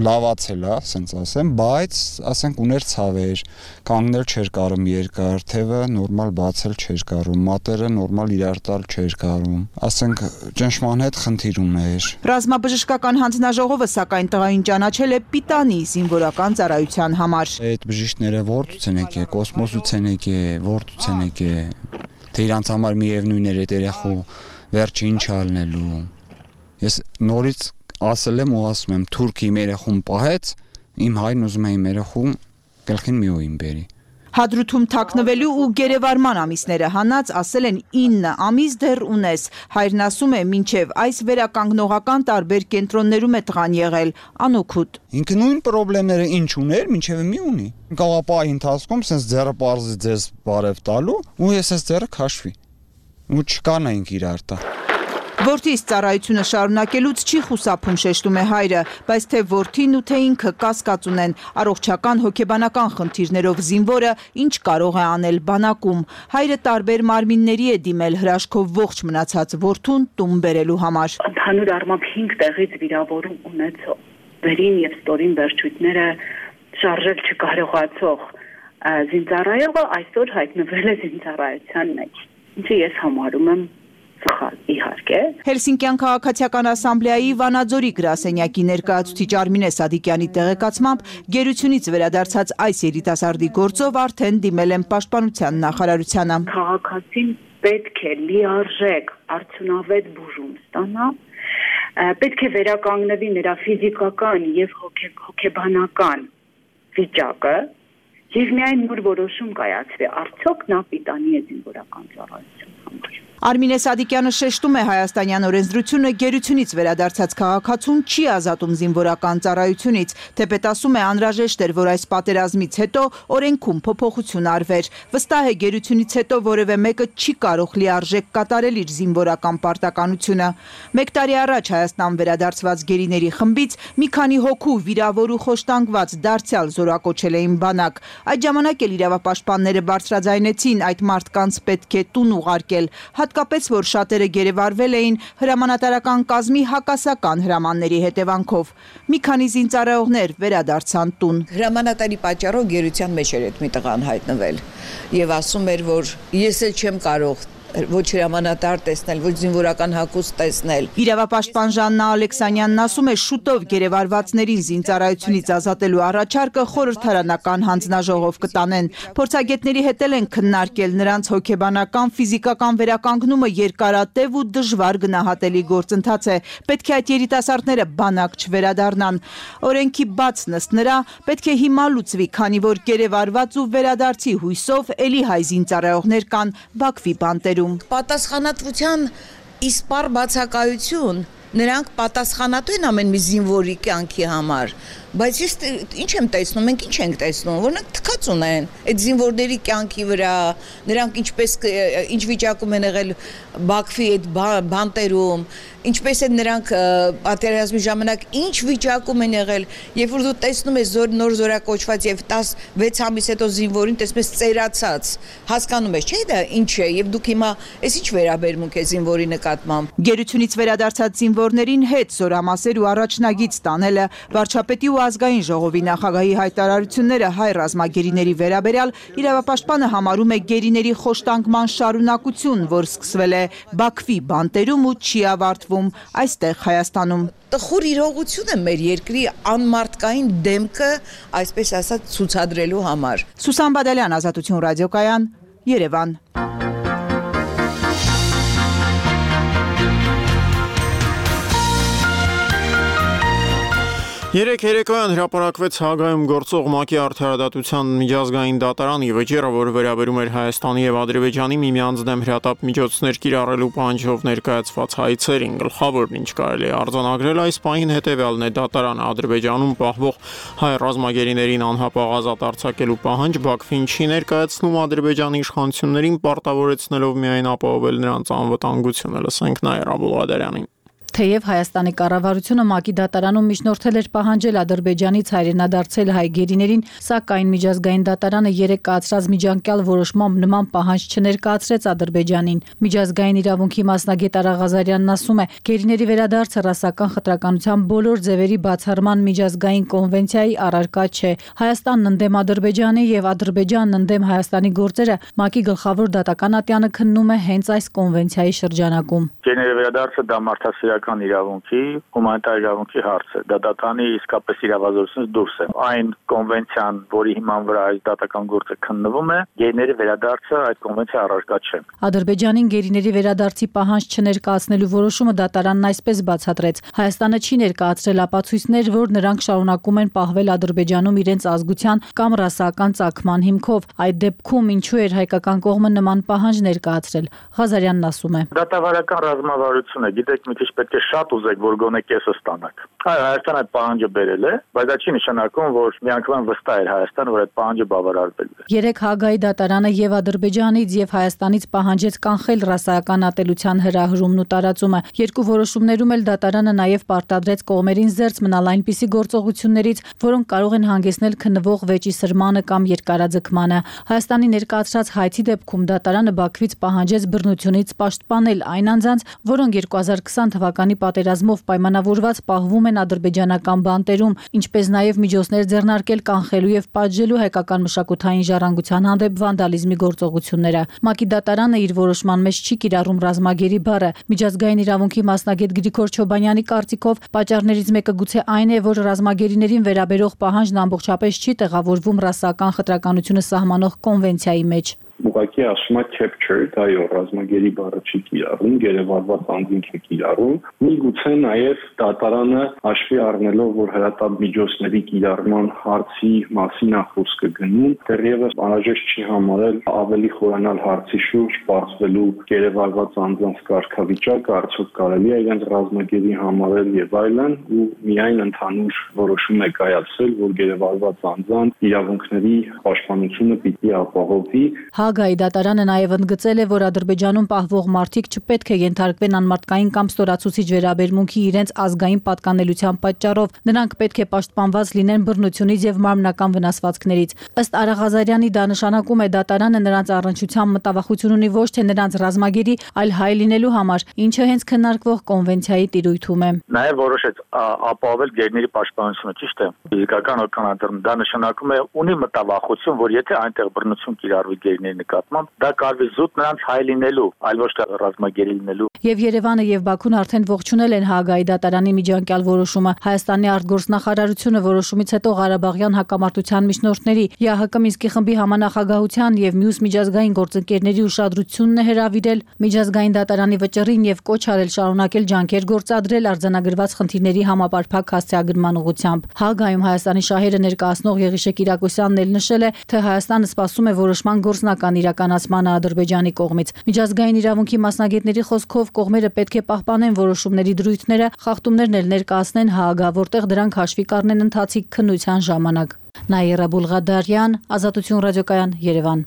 լավացել է, ասենց ասեմ, բայց ասենք ուներ ցավեր, կանգնել չէր կարում երկար, թևը նորմալ բացել չէր կարում, մատերը նորմալ իրար տալ չէր կարում, ասենք ճնշման հետ խնդիր ուներ։ Ռազմաբժշկական հանձնաժողովը սակայն տղային ճանաչել է պիտանի զինվորական ծառայության համար։ Այդ բժիշկները որտուց են եկել, կոսմոսուց են եկել, որտուց են եկել, թե իրանց համար միևնույն էր այդ երեխու վերջը ինչ ալնելու։ Ես նորից ասել եմ ու ասում եմ, թուրքի իմ երեխուն պահեց, իմ հայրն ուզում է իմ երեխուն գլխին մի օին բերի։ Հադրութում թաքնվելու ու գերեվարման ամիսները հանած, ասել են ինը ամիս դեռ ունես։ Հայրն ասում է, մինչև այս վերականգնողական տարբեր կենտրոններում է տղան եղել, անօգուտ։ Ինքը նույն պրոբլեմները ինչ ուներ, մինչև մի ունի։ Կաղապահի ընթացքում սենց ձեռը պարզի ձեզ բարև տալու, ու ես ես ձեռը քաշվի։ Ու չկանայինք իրար տա։ Որդիս ծառայությունը շարունակելուց չի խուսափում, շեշտում է հայրը, բայց թե որդին ու թե ինքը կասկած ունեն առողջական հոգեբանական խնդիրներով զինվորը ինչ կարող է անել բանակում։ Հայրը տարբեր մարմինների է դիմել հրաշքով ողջ մնացած որդուն տուն բերելու համար։ Ընդհանուր առմամբ հինգ տեղից վիրավորում ունեցող, վերին եւ ստորին վերջույթները շարժել չկարողացող զինծառայողը այսօր հայտնվել է զինծառայության մեջ, ինչը ես համարում եմ սխալ, իհարկե։ Հելսինկյան քաղաքացիական ասամբլեայի Վանաձորի գրասենյակի ներկայացուցիչ Արմինե Սադիկյանի տեղեկացմամբ գերությունից վերադարձած այս երիտասարդի գործով արդեն դիմել են պաշտպանության նախարարությանը։ Քաղաքացին պետք է լիարժեք արդյունավետ բուժում ստանա, պետք է վերականգնվի նրա ֆիզիկական եւ հոգեբանական վիճակը Եվ միայն նոր որոշում կայացվի, արդյոք նա պիտանի է զինվորական ծառայության համար։ Արմինե Սադիկյանը շեշտում է հայաստանյան օրենսդրությունը գերությունից վերադարձած քաղաքացուն չի ազատում զինվորական ծառայությունից, թեպետ ասում է անհրաժեշտ էր, որ այս պատերազմից հետո օրենքում փոփոխություն արվեր։ Վստահ է գերությունից հետո որևէ մեկը չի կարող լիարժեք կատարել իր զինվորական պարտականությունը։ Մեկ տարի առաջ Հայաստան վերադարձված գերիների խմբից մի քանի հոգու վիրավոր ու խոշտանգված դարձյալ զորակոչել էին բանակ։ Այդ ժամանակ էլ իրավապաշտպանները բարձրաձայնեցին այդ մարդկանց պետք է տուն ուղարկել, հատկապես որ շատերը գերեվարվել էին հրամանատարական կազմի հակասական հրամանների հետևանքով։ Մի քանի զինծառայողներ վերադարձան տուն։ Հրամանատարի պատճառով գերության մեջ էր այդ մի տղան հայտնվել եւ ասում էր, որ ես էլ չեմ կարող ոչ հրամանատար տեսնել, ոչ զինվորական հագուստ տեսնել։ Իրավապաշտպան Ժաննա Ալեքսանյանն ասում է շուտով գերեվարվածներին զինծառայությունից ազատելու առաջարկը խորհրդարանական հանձնաժողով կտանեն։ Փորձագետների հետ են քննարկել նրանց հոգեբանական, ֆիզիկական վերականգնումը երկարատև ու դժվար գնահատելի գործընթաց է։ Պետք է այդ երիտասարդները բանակ չվերադառնան։ Օրենքի բաց նստնրա պետք է հիմա լուծվի, քանի որ գերեվարված ու վերադարձի հույսով էլի հայ զինծառայողներ կան Բաքվի բանտերում։ Պատասխանատվության իսպառ բացակայություն, նրանք պատասխանատու են ամեն մի զինվորի կյանքի համար, բայց ես ինչ եմ տեսնում, մենք ինչ ենք տեսնում, որ նրանք թքած ունեն այդ զինվորների կյանքի վրա, նրանք ինչպես ինչ վիճակում են եղել Բաքվի այդ բանտերում, ինչպես են նրանք պատերազմի ժամանակ ինչ վիճակում են եղել, երբ որ դու տեսնում ես նոր զորակոչված եւ տասնվեց ամիս հետո զինվորին տեսնում ես ծերացած, հասկանում ես, չէ՞ դա ինչ է, եւ դուք հիմա այս ինչ վերաբերմունք է զինվորի նկատմամբ։ Գերությունից վերադարձած զինվորներին հետ զորամասեր ու առաջնագիծ տանելը, վարչապետի ու ազգային ժողովի նախագահի հայտարարությունները հայ ռազմագերիների վերաբերյալ իրավապաշտպանը համարում է գերիների խոշտանգման շարունակություն, որ սկսվել է Բաքվի բանտերում ու չի ավարտվում այստեղ Հայաստանում։ Տխուր իրողություն է մեր երկրի անմարդկային դեմքը, այսպես ասած, ցուցադրելու համար։ Սուսան Բադալյան, Ազատություն ռադիոկայան, Երևան։ Երեք երեկոյան հրապարակվեց Հաագայում գործող ՄԱԿ-ի արդարադատության միջազգային դատարանի վճիռը, որը վերաբերում էր Հայաստանի եւ Ադրբեջանի միմյանց դեմ հրատապ միջոցներ կիրառելու պահանջով ներկայացված հայցերին։ Գլխավորն ինչ կարելի է արձանագրել այս պահին հետեւյալն է՝ դատարանը Ադրբեջանում պահվող հայ ռազմագերիներին անհապաղ ազատ արձակելու պահանջ Բաքվին չի ներկայացնում Ադրբեջանի իշխանություններին, պարտավորեցնելով միայն ապահովել նրանց անվտանգությունը։ Լսենք Նաիրա Բուլղադարյանին։ Թեև Հայաստանի կառավարությունը ՄԱԿ-ի դատարանում միջնորդել էր պահանջել Ադրբեջանից հայրենադարձել հայ գերիներին, սակայն միջազգային դատարանը երեկ կայացրած միջանկյալ որոշմամբ նման պահանջ չներկայացրեց Ադրբեջանին։ Միջազգային իրավունքի մասնագետ Արա Ղազարյանն ասում է, գերիների վերադարձը ռասական խտրականության բոլոր ձևերի բացառման միջազգային կոնվենցիայի առարկա չէ։ Հայաստանն ընդդեմ Ադրբեջանի եւ Ադրբեջանն ընդդեմ Հայաստանի գործերը ՄԱԿ-ի գլխավոր դատական ատյանը քննում է հենց այս կոնվենցիայի շրջանակում։ Գերիների վերադարձը դա մարդասիրական իրավունքի, հումանիտար իրավունքի հարց է։ Դա դատանի իսկապես իրավազորությունից դուրս է։ Այն կոնվենցիան, որի հիման վրա այս դատական գործը քննվում է, գերիների վերադարձը այդ կոնվենցիայի առարկա չէ։ Ադրբեջանին գերիների վերադարձի պահանջ չներկայացնելու որոշումը դատարանն այսպես բացատրեց. Հայաստանը չի ներկայացրել ապացույցներ, որ նրանք շարունակում են պահվել Ադրբեջանում իրենց ազգության կամ ռասական ծագման հիմքով։ Այդ դեպքում ինչու էր հայկական կողմը նման պահանջ ներկայացրել։ Ղազարյանն ասում է. Դատավարական ռազմավարություն է, գիտեք, մի քիչ պետք է շատ ուզեք, որ գոնե կեսը ստանաք։ Այո, Հայաստանը այդ պահանջը բերել է, բայց դա չի նշանակում, որ միանգամայն վստահ էր Հայաստանը, որ այդ պահանջը բավարարվելու է։ Երեք Հաագայի դատարանը եւ Ադրբեջանից եւ Հայաստանից պահանջեց կանխել ռասայական ատելության հրահրումն ու տարածումը։ Երկու որոշումներում էլ դատարանը նաեւ պարտադրեց կողմերին զերծ մնալ այնպիսի գործողություններից, որոնք կարող են հանգեցնել քննվող վեճի սրմանը կամ երկարաձգմանը։ Հայաստանի ներկայացրած հայցի դեպքում դատարանը Բաքվից պահանջեց բռնությունից պաշտպանել այն անձանց, որոնք երկու հազար քսան թվականի պատերազմով պայմանավորված պահվում են ադրբեջանական բանտերում, ինչպես նաև միջոցներ ձեռնարկել կանխելու եւ պատժելու հայկական մշակութային ժառանգության հանդեպ վանդալիզմի գործողությունները։ ՄԱԿ-ի դատարանը իր որոշման մեջ չի կիրառում ռազմագերի բառը։ Միջազգային իրավունքի մասնագետ Գրիգոր Չոբանյանի կարծիքով պատճառներից մեկը գուցե այն է, որ ռազմագերիներին վերաբերող պահանջն ամբողջապես չի տեղավորվում ռասական խտրականությունը սահմանող կոնվենցիայի մեջ։ ուղղակի ասում է captured, այո, ռազմագերի բառը չի կիրառում, գերեվարված անձինք է կիրառում։ Միգուցե նաև դատարանը հաշվի առնելով, որ հրատապ միջոցների կիրառման հարցի մասին է խոսքը գնում, դեռևս անհրաժեշտ չի համարել ավելի խորանալ հարցի շուրջ բարձվելու գերեվարված անձանց կարգավիճակը, արդյոք կարելի է իրենց ռազմագերի համարել եւ այլն, ու միայն ընդհանուր որոշում է կայացել, որ գերեվարված անձանց իրավունքների պաշտպանությունը պիտի ապահովի։ Հագայի դատարանը նաև ընդգծել է, որ Ադրբեջանում պահվող մարդիկ չպետք է ենթարկվեն անմարդկային կամ ստորացուցիչ վերաբերմունքի իրենց ազգային պատկանելիության պատճառով, նրանք պետք է պաշտպանված լինեն բռնությունից եւ մարմնական վնասվածքներից։ Ըստ Արա Ղազարյանի, դա նշանակում է դատարանը նրանց առնչությամբ մտավախություն ունի ոչ թե նրանց ռազմագերի, այլ հայ լինելու համար, ինչը հենց քննարկվող կոնվենցիայի տիրույթում է։ Նաև որոշեց ապահովել գերիների պաշտպանությունը, ճիշտ է։ Ֆիզիկական օգնադրում դա նշանակում է ունի մտավախություն, որ եթե այնտեղ բռնություն կիրառվի գերիների նկատմամբ, դա կարվի զուտ նրանց հայ լինելու, այլ ոչ թե ռազմագերի լինելու։ Եվ Երևանը եւ Բաքուն արդեն ողջունել են Հագայի դատարանի միջանկյալ որոշումը։ Հայաստանի արտգործնախարարությունը որոշումից հետո Ղարաբաղյան հակամարտության միջնորդների ԵԱՀԿ Մինսկի խմբի համանախագահության եւ մյուս միջազգային գործընկերների ուշադրությունն է հրավիրել միջազգային դատարանի վճռին եւ կոչ արել շարունակել ջանքեր գործադրել արձանագրված խնդիրների համապարփակ հասցեագրման ուղղությամբ։ Հագայում Հայաստանի շահերը ներկայացնող Եղիշե Կիրակոսյանն էլ նշել է, թե Հայաստանը սպասում է որոշման գործնական իրականացմանը Ադրբեջանի կողմից։ Միջազգային իրավունքի մասնագետների խոսքով կողմերը պետք է պահպանեն որոշումների դրույթները, խախտումներն էլ ներկայացնեն Հագա, որտեղ դրանք հաշվի կառնեն ընթացիկ քննության ժամանակ։ Նաիրա Բուլղադարյան, Ազատություն ռադիոկայան, Երևան։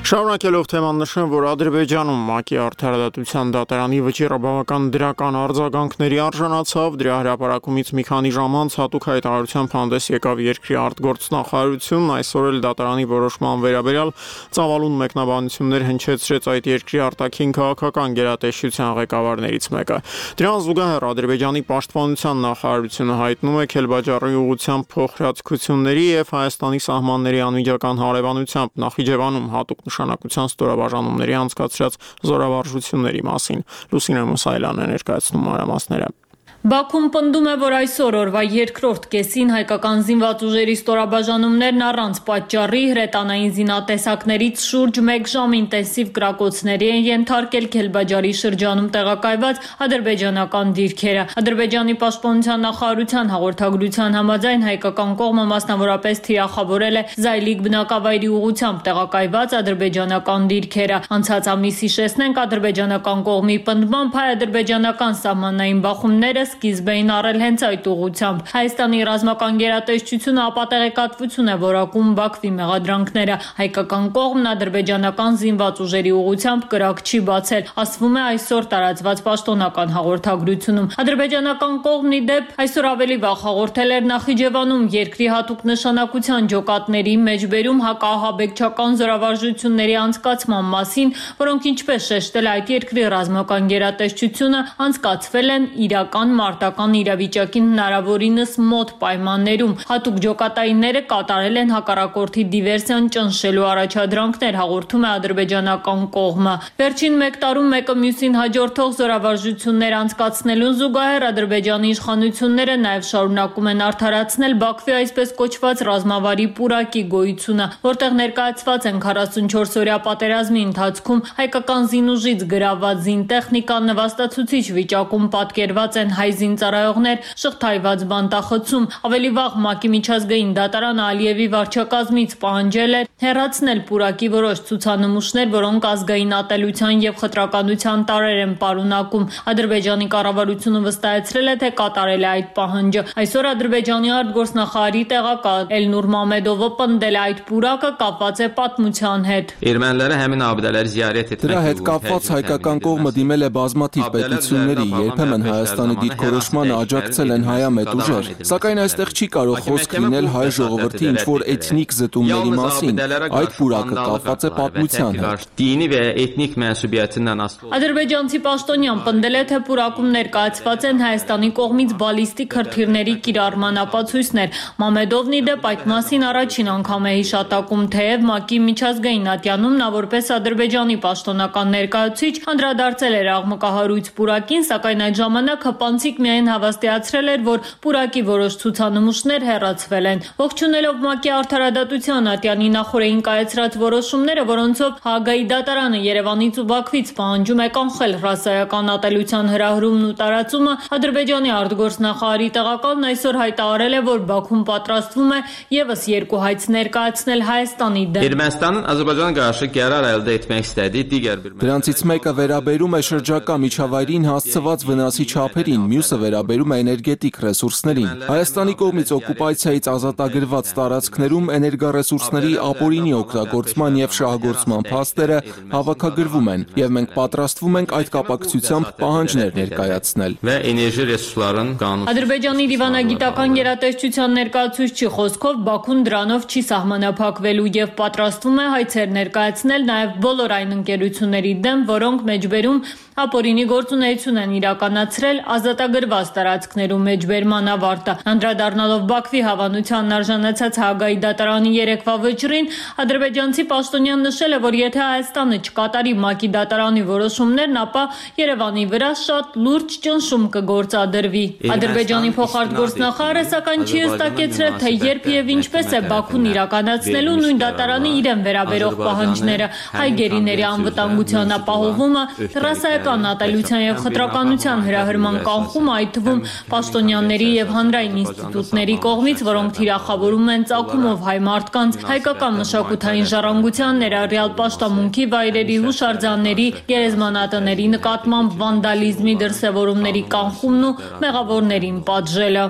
Շարունակելով թեման նշեմ, որ Ադրբեջանում ՄԱԿ-ի արդարադատության դատարանի վճիռը բավական դրական արձագանքների արժանացավ, դրա հրապարակումից մի քանի ժամ անց հատուկ հայտարարությամբ հանդես եկավ երկրի արտգործնախարարությունն, այսօր էլ դատարանի որոշման վերաբերյալ ծավալուն մեկնաբանություններ հնչեցրեց այդ երկրի արտաքին քաղաքական գերատեսչության ղեկավարներից մեկը։ Դրան զուգահեռ Ադրբեջանի պաշտպանության նախարարությունը հայտնում է Քելբաջարի ուղղությամբ փոխհրաձգությունների եւ Հայաստանի սահմանների անմիջական հարևանությամբ Նախիջևանում հատուկ նշանակության ստորաբաժանումների անցկացրած զորավարժությունների մասին։ Լուսինե Մուսայելյանն է ներկայացնում մանրամասները։ Բաքուն պնդում է, որ այսօր օրվա երկրորդ կեսին հայկական զինված ուժերի ստորաբաժանումներն առանց պատճառի հրետանային զինատեսակներից շուրջ մեկ ժամ ինտենսիվ կրակոցների են ենթարկել Քելբաջարի շրջանում տեղակայված ադրբեջանական դիրքերը։ Ադրբեջանի պաշտպանության նախարարության հաղորդագրության համաձայն հայկական կողմը մասնավորապես թիրախավորել է Զայլիկ բնակավայրի ուղղությամբ տեղակայված ադրբեջանական դիրքերը։ Անցած ամիս հիշեցնենք ադրբեջանական կողմի պնդմամբ հայ-ադրբեջանական սահմանային բախումները սկիզբ էին առել հենց այդ ուղղությամբ։ Հայաստանի ռազմական գերատեսչությունը ապատեղեկատվություն է որակում Բաքվի մեղադրանքները։ Հայկական կողմն ադրբեջանական զինված ուժերի ուղղությամբ կրակ չի բացել, ասվում է այսօր տարածված պաշտոնական հաղորդագրությունում։ Ադրբեջանական կողմն ի դեպ այսօր ավելի վաղ հաղորդել էր Նախիջևանում երկրի հատուկ նշանակության ջոկատների մեջբերում հակահաբեկչական զորավարժությունների անցկացման մասին, որոնք ինչպես շեշտել այդ երկրի ռազմական գերատեսչությունը անցկացվել են իրական մարտական իրավիճակին հնարավորինս մոտ պայմաններում։ Հատուկ ջոկատայինները կատարել են հակառակորդի դիվերսիան ճնշելու առաջադրանքներ, հաղորդում է ադրբեջանական կողմը։ Վերջին մեկ տարում մեկը մյուսին հաջորդող զորավարժություններ անցկացնելուն զուգահեռ Ադրբեջանի իշխանությունները նաև շարունակում են արդարացնել Բաքվի այսպես կոչված ռազմավարի պուրակի գոյությունը, որտեղ ներկայացված են քառասունչորս օրյա պատերազմի ընթացքում հայկական զինուժից գրաված զինտեխնիկա նվաստացուցիչ վիճակում պատկերված են հայ զինծառայողներ, շղթայված բանտախցում։ Ավելի վաղ ՄԱԿ-ի միջազգային դատարանը Ալիևի վարչակազմից պահանջել էր հեռացնել պուրակի որոշ ցուցանմուշներ, որոնք ազգային ատելության եւ խտրականության տարրեր են պարունակում։ Ադրբեջանի կառավարությունը վստահեցրել է, թե կատարել է այդ պահանջը։ Այսօր Ադրբեջանի արտգործնախարարի տեղակալ Էլնուր Մամեդովը պնդել է այդ պուրակը կապված է պատմության հետ։ Երմենիները համին աբդալար զիարետ etmek Դրա հետ կապված հայկական կողմը դիմել է բազմաթիվ պետությունների, երբեմն Հայաստանի դիրքորոշմանը աջակցել են հայամետ ուժեր, սակայն այստեղ չի կարող խոսք լինել հայ ժողովրդի ինչ-որ էթնիկ զտումների մասին, այդ պուրակը կապված է պատմության հետ։ Դինի və etnik mənsubiyyətindən asılı։ Ադրբեջանցի պաշտոնյան պնդել է, թե պուրակում ներկայացված են Հայաստանի կողմից բալիստիկ հրթիռների կիրառման ապացույցներ։ Մամեդովն ի դեպ այդ մասին առաջին անգամ է հիշատակում, թեև ՄԱԿ-ի միջազգային ատյանում նա որպես Ադրբեջանի պաշտոնական ներկայացուցիչ անդրադարձել էր աղմկահարույց պուրակին, սակայն այդ ժամանակ հպանցիկ Մասիկ միայն հավաստիացրել էր, որ պուրակի որոշ ցուցանմուշներ հեռացվել են։ Ողջունելով ՄԱԿ-ի արդարադատության ատյանի նախորդին կայացրած որոշումները, որոնցով Հաագայի դատարանը Երևանից ու Բաքվից պահանջում է կանխել ռասայական ատելության հրահրումն ու տարածումը, Ադրբեջանի արտգործնախարարի տեղակալն այսօր հայտարարել է, որ Բաքուն պատրաստվում է եւս երկու հայց ներկայացնել Հայաստանի դեմ։ Ermənistanın Azərbaycana qarşı qərar əldə etmək istədiyi digər bir Դրանցից մեկը վերաբերում է շրջակա միջավայրին հասցված վնասի չափերին, մյուսը վերաբերում է էներգետիկ ռեսուրսներին։ Հայաստանի կողմից օկուպացիայից ազատագրված տարածքներում էներգառեսուրսների ապօրինի օգտագործման եւ շահագործման փաստերը հավաքագրվում են, եւ մենք պատրաստվում ենք այդ կապակցությամբ պահանջներ ներկայացնել։ Və էներգի ռեսուրսların qanunu Ադրբեջանի դիվանագիտական գերատեսչության ներկայացուցչի խոսքով Բաքուն դրանով չի սահմանափակվելու եւ պատրաստվում է հայցեր ներկայացնել նաեւ բոլոր այն ընկերությունների դեմ, որոնք մեջբերում ապօրինի գործունեություն են իրականացրել ազատագրված տարածքներում մեջբերման ավարտը։ Անդրադառնալով Բաքվի հավանությանն արժանացած Հաագայի դատարանի երեկվա վճռին, ադրբեջանցի պաշտոնյան նշել է, որ եթե Հայաստանը չկատարի ՄԱԿ-ի դատարանի որոշումներն, ապա Երևանի վրա շատ լուրջ ճնշում կգործադրվի։ Ադրբեջանի փոխարտգործնախարարը սակայն չի հստակեցրել, թե երբ եւ ինչպես է Բաքուն իրականացնելու նույն դատարանի իրեն վերաբերող պահանջները։ Հայ գերիների անվտանգության ապահովումը, ռասայական ատելության եւ խտրականության հրահրման կանխումը, այդ թվում պաշտոնյաների եւ հանրային ինստիտուտների կողմից, որոնք թիրախավորում են ծագումով հայ մարդկանց, հայկական մշակութային ժառանգության, ներառյալ պաշտամունքի վայրերի, հուշարձանների, գերեզմանատների նկատմամբ վանդալիզմի դրսևորումների կանխումն ու մեղավորներին պատժելը։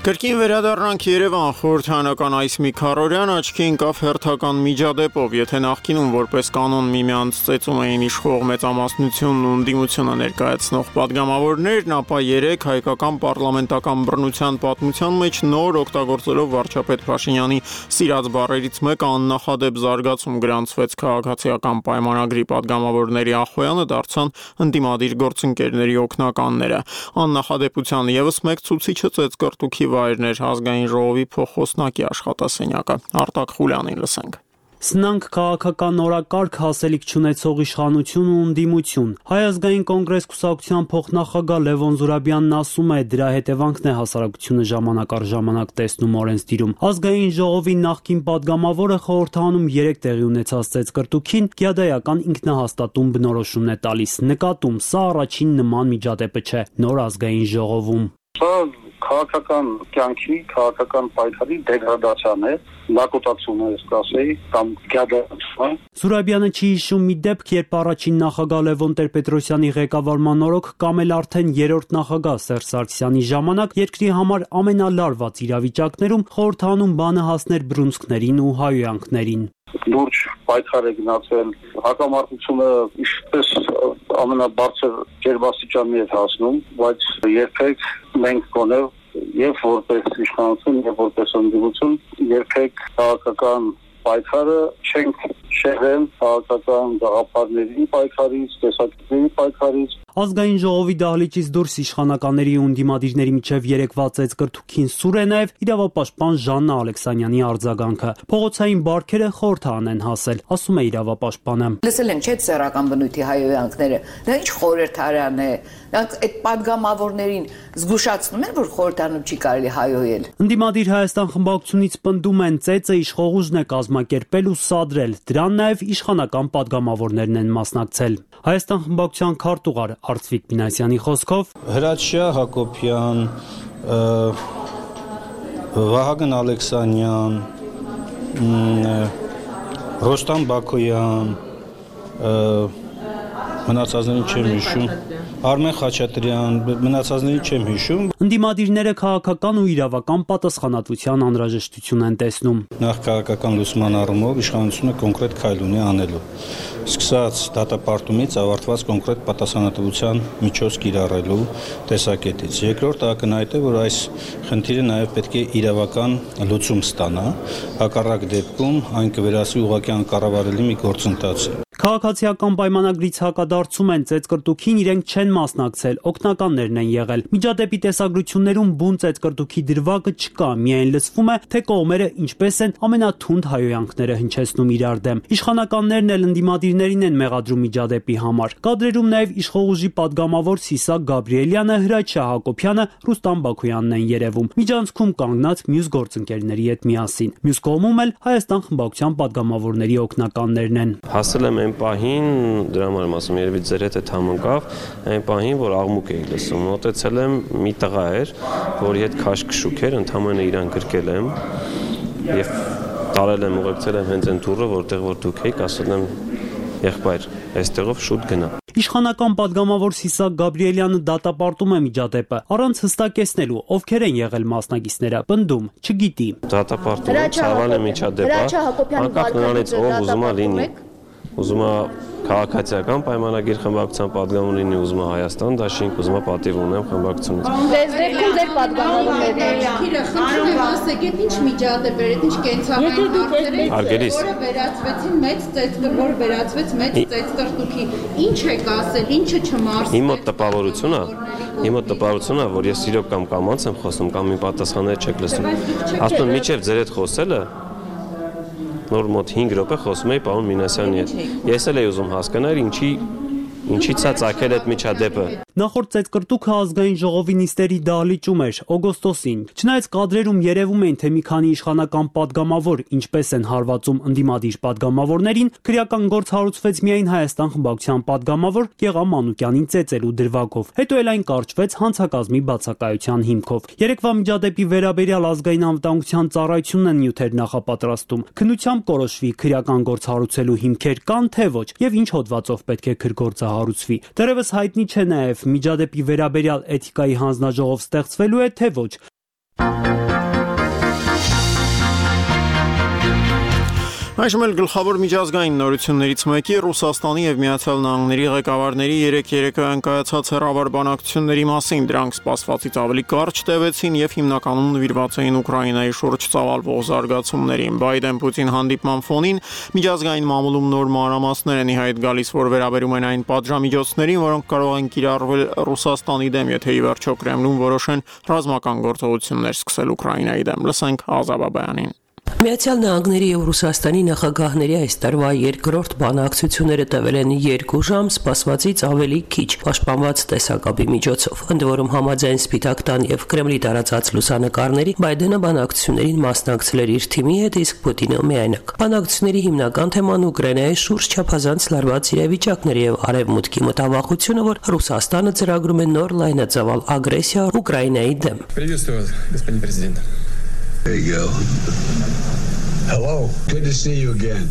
Կրկին վերադառնանք Երևան, խորհրդանական այս մի քառօրյան աչքի ընկավ հերթական միջադեպով, եթե նախկինում որպես կանոն միմյանց ծեծում էին իշխող մեծամասնությունն ու ընդդիմությունը ներկայացնող падգամավորներն, ապա երեք հայկական պարլամենտական բռնության պատմության մեջ նոր օգտագործելով վարչապետ Փաշինյանի սիրած բառերից մեկը աննախադեպ զարգացում գրանցվեց քաղաքացիական պայմանագրի падգամավորների Ախոյանը դարձան ընդդիմադիր գործընկերների օգնականները։ Աննախադեպության եւս մեկ ցուցիչը ծեծկռտուքի վայրներ ազգային ժողովի փոխոսնակի աշխատասենյակը։ Արտակ Խուլյանին լսենք։ Սնանկ քաղաքական օրակարգ, հասելիք չունեցող իշխանություն ու ընդդիմություն։ Հայ ազգային կոնգրես կուսակցության փոխնախագահ Լևոն Զուրաբյանն ասում է, դրա հետևանքն է հասարակությունը ժամանակ առ ժամանակ տեսնում օրենսդիրում։ Ազգային ժողովի նախկին падգամավորը խորհրդանում երեք տեղի ունեցած ծեծկռտուքին գյադայական ինքնահաստատում բնորոշումն է տալիս։ Նկատում, սա առաջին նման միջադեպը չէ նոր ազգային ժողովում։ Քաղաքական կյանքի, քաղաքական պայքարի դեգրադացիան է, լակոտացում է, ասեի, կամ գյադայացում։ Զուրաբյանը չի հիշում մի դեպք, երբ առաջին նախագահ Լևոն Տեր-Պետրոսյանի ղեկավարման օրոք կամ էլ արդեն երրորդ նախագահ Սերժ Սարգսյանի ժամանակ երկրի համար ամենալարված իրավիճակներում խորհրդանում բանը հասներ բռունցքներին ու հայոյանքներին։ Լուրջ պայքար է գնացել, հակամարտությունը ինչպես ամենաբարձր ջերմաստիճանի է հասնում, բայց երբեք մենք գոնե եւ որպես իշխանություն եւ որպես ընդդիմություն երբեք քաղաքական պայքարը չենք շեղել քաղաքական գաղափարների պայքարից, տեսակետների պայքարից։ Ազգային ժողովի դահլիճից դուրս իշխանականների ու ընդդիմադիրների միջև երեկվա ծեծկռտուքին սուր է նաև իրավապաշտպան Ժաննա Ալեքսանյանի արձագանքը։ Փողոցային բարքերը խորհրդան են հասել, ասում է իրավապաշտպանը։ Լսել ենք չէ՞ սեռական բնույթի հայոյանքները։ Դա ինչ խորհրդարան է։ Նրանք այդ падգամավորներին զգուշացնում են, որ խորհրդանում չի կարելի հայոյել։ Ընդդիմադիր Հայաստան խմբակցությունից պնդում են ծեծը իշխողուժն է կազմակերպել ու սադրել։ Դրան նաև իշխանական падգամավորներն են մասնակցել։ Հայաստան խմբակցության քարտուղար Արծվիկ Մինասյանի խոսքով Հրաչյա Հակոբյան, Վահագն Ալեքսանյան, Ռոստամ Բակոյան, մնացածներին չեմ հիշում, Արմեն Խաչատրյան, մնացածներին չեմ հիշում։ Ընդդիմադիրները քաղաքական ու իրավական պատասխանատվության անհրաժեշտություն են տեսնում։ Նախ քաղաքական լուսման առումով իշխանությունը կոնկրետ քայլ ունի անելու։ Սկսած դատապարտումից ավարտված կոնկրետ պատասխանատվության միջոց կիրառելու տեսակետից։ Երկրորդ ակնհայտ է, որ այս խնդիրը նաև պետք է իրավական լուծում ստանա, հակառակ դեպքում այն կվերածվի ուղղակի անկառավարելի մի գործընթացի։ Քաղաքացիական պայմանագրից հակադարձում են, ծեծկռտուքին իրենք չեն մասնակցել, օգնականներն են եղել։ Միջադեպի տեսագրություններում բուն ծեծկռտուքի դրվագը չկա, միայն լսվում է, թե կողմերը ինչպես են ամենաթունդ հայոյանքները հնչեցնում իրար դեմ։ Իշխանականներն էլ ընդդիմադիրներին են մեղադրում միջադեպի համար։ Կադրերում նաև իշխող ուժի падգամավոր Սիսակ Գաբրիելյանը, Հրաչյա Հակոբյանը, Ռուստամ Բաքոյանն են երևում։ Միջանցքում կանգնած մյուս գործընկերների հետ միասին։ Մյուս կողմում էլ Հայաստան խմբակցության падգամավորների օգնականներն են։ Հասել եմ այն պահին, դրա համար եմ ասում, երևի ձեր հետ համընկավ, այն պահին, որ աղմուկ էի լսում, մոտեցել եմ, մի տղա էր, որի հետ քաշքշուկ էր, ընդհանրապես իրան գրկել եմ եւ տարել եմ, ուղեկցել եմ հենց այն դուռը, որտեղ որ դուք եք, ասել եմ, եղբայր, այստեղով շուտ գնա։ Իշխանական падգամավոր Սիսակ Գաբրիելյանը դատապարտում է միջադեպը, առանց հստակեցնելու ովքեր են եղել մասնակիցները, պնդում, չգիտի։ Դատապարտում, ցավալ է միջադեպը, անկախ նրանից ով ուզում է լինի, ուզում է քաղաքացիական պայմանագիր խմբակցության падգամավոր լինի, ուզում է Հայաստան դաշինք, ուզում է պատիվ ունեմ խմբակցությունից։ Դες դեպքում ձեր падգամավորներն են։ Քիլը խնդրում եմ ասեք, ինչ միջադեպ էր, ինչ կենցաղային հարցեր, որը վերածվեցին մեծ ծեծկռ, որ վերածվեց մեծ ծեծկռտուքի։ Ինչ եք ասել, ինչը չմարսել։ Իմ մոտ տպավորությունն է, իմ մոտ տպավորությունն է, որ ես իրոք կամ կամաց եմ խոսում, կամ իմ պատասխանները չեք լսում։ Ասում եմ, միջև ձեր հետ խոսելը նոր մոտ հինգ րոպե խոսում էի պարոն Մինասյանի հետ։ Ես էլ էի ուզում հասկանալ ինչի ինչից է ցակել այդ միջադեպը։ Նախորդ ծեծկռտուքը ազգային ժողովի նիստերի դահլիճում էր օգոստոսին։ Չնայած կադրերում երևում էին, թե մի քանի իշխանական падգամավոր ինչպես են հարվածում ընդդիմադիր падգամավորներին, քրեական գործ հարուցվեց միայն Հայաստան խմբակցության падգամավոր Գեղամ Մանուկյանին ծեծելու դրվագով։ Հետո էլ այն կարճվեց հանցակազմի բացակայության հիմքով։ Երեկվա միջադեպի վերաբերյալ ազգային անվտանգության ծառայությունն են նյութեր նախապատրաստում։ Քննությամբ կորոշվի քրեական գործ հարուցելու հիմքեր կան թե ոչ եւ ինչ հոդվածով պետք է քրգործը հարուցվի։ Դեռևս հայտնի չէ նաև միջադեպի վերաբերյալ էթիկայի հանձնաժողով ստեղծվելու է թե ոչ։ Այժմ էլ գլխավոր միջազգային նորություններից մեկի Ռուսաստանի եւ Միացյալ Նահանգների ղեկավարների երեք երեկոյան կայացած հեռավար բանակցությունների մասին։ Դրանք սպասվածից ավելի կարճ տևեցին եւ հիմնականում նվիրված էին Ուկրաինայի շուրջ ծավալվող զարգացումներին։ Բայդեն-Պուտին հանդիպման ֆոնին միջազգային մամուլում նոր մանրամասներ են ի հայտ գալիս, որ վերաբերում են այն պատժամիջոցներին, որոնք կարող են կիրառվել Ռուսաստանի դեմ, եթե ի վերջո Կրեմլուն որոշեն ռազմական գործողություններ սկսել Ուկրաինայի դեմ։ Լսենք Ազաբաբյանին։ Միացյալ Նահանգների եւ Ռուսաստանի նախագահների այս տարվա երկրորդ բանակցությունները տևել են երկու ժամ, սպասվածից ավելի քիչ, պաշտպանված տեսակապի միջոցով։ Ընդ որում համաձայն Սպիտակ տան եւ Կրեմլի տարածած լուսանկարների Բայդենը բանակցություններին մասնակցել էր իր թիմի հետ, իսկ Պուտինը միայնակ։ Բանակցությունների հիմնական թեման Ուկրաինայի շուրջ չափազանց լարված իրավիճակներ եւ արևմուտքի մտավախությունը, որ Ռուսաստանը ծրագրում է նոր լայնածավալ ագրեսիա Ուկրաինայի դեմ։ Приветствую вас, господин президент. There you go. Hello, good to see you again.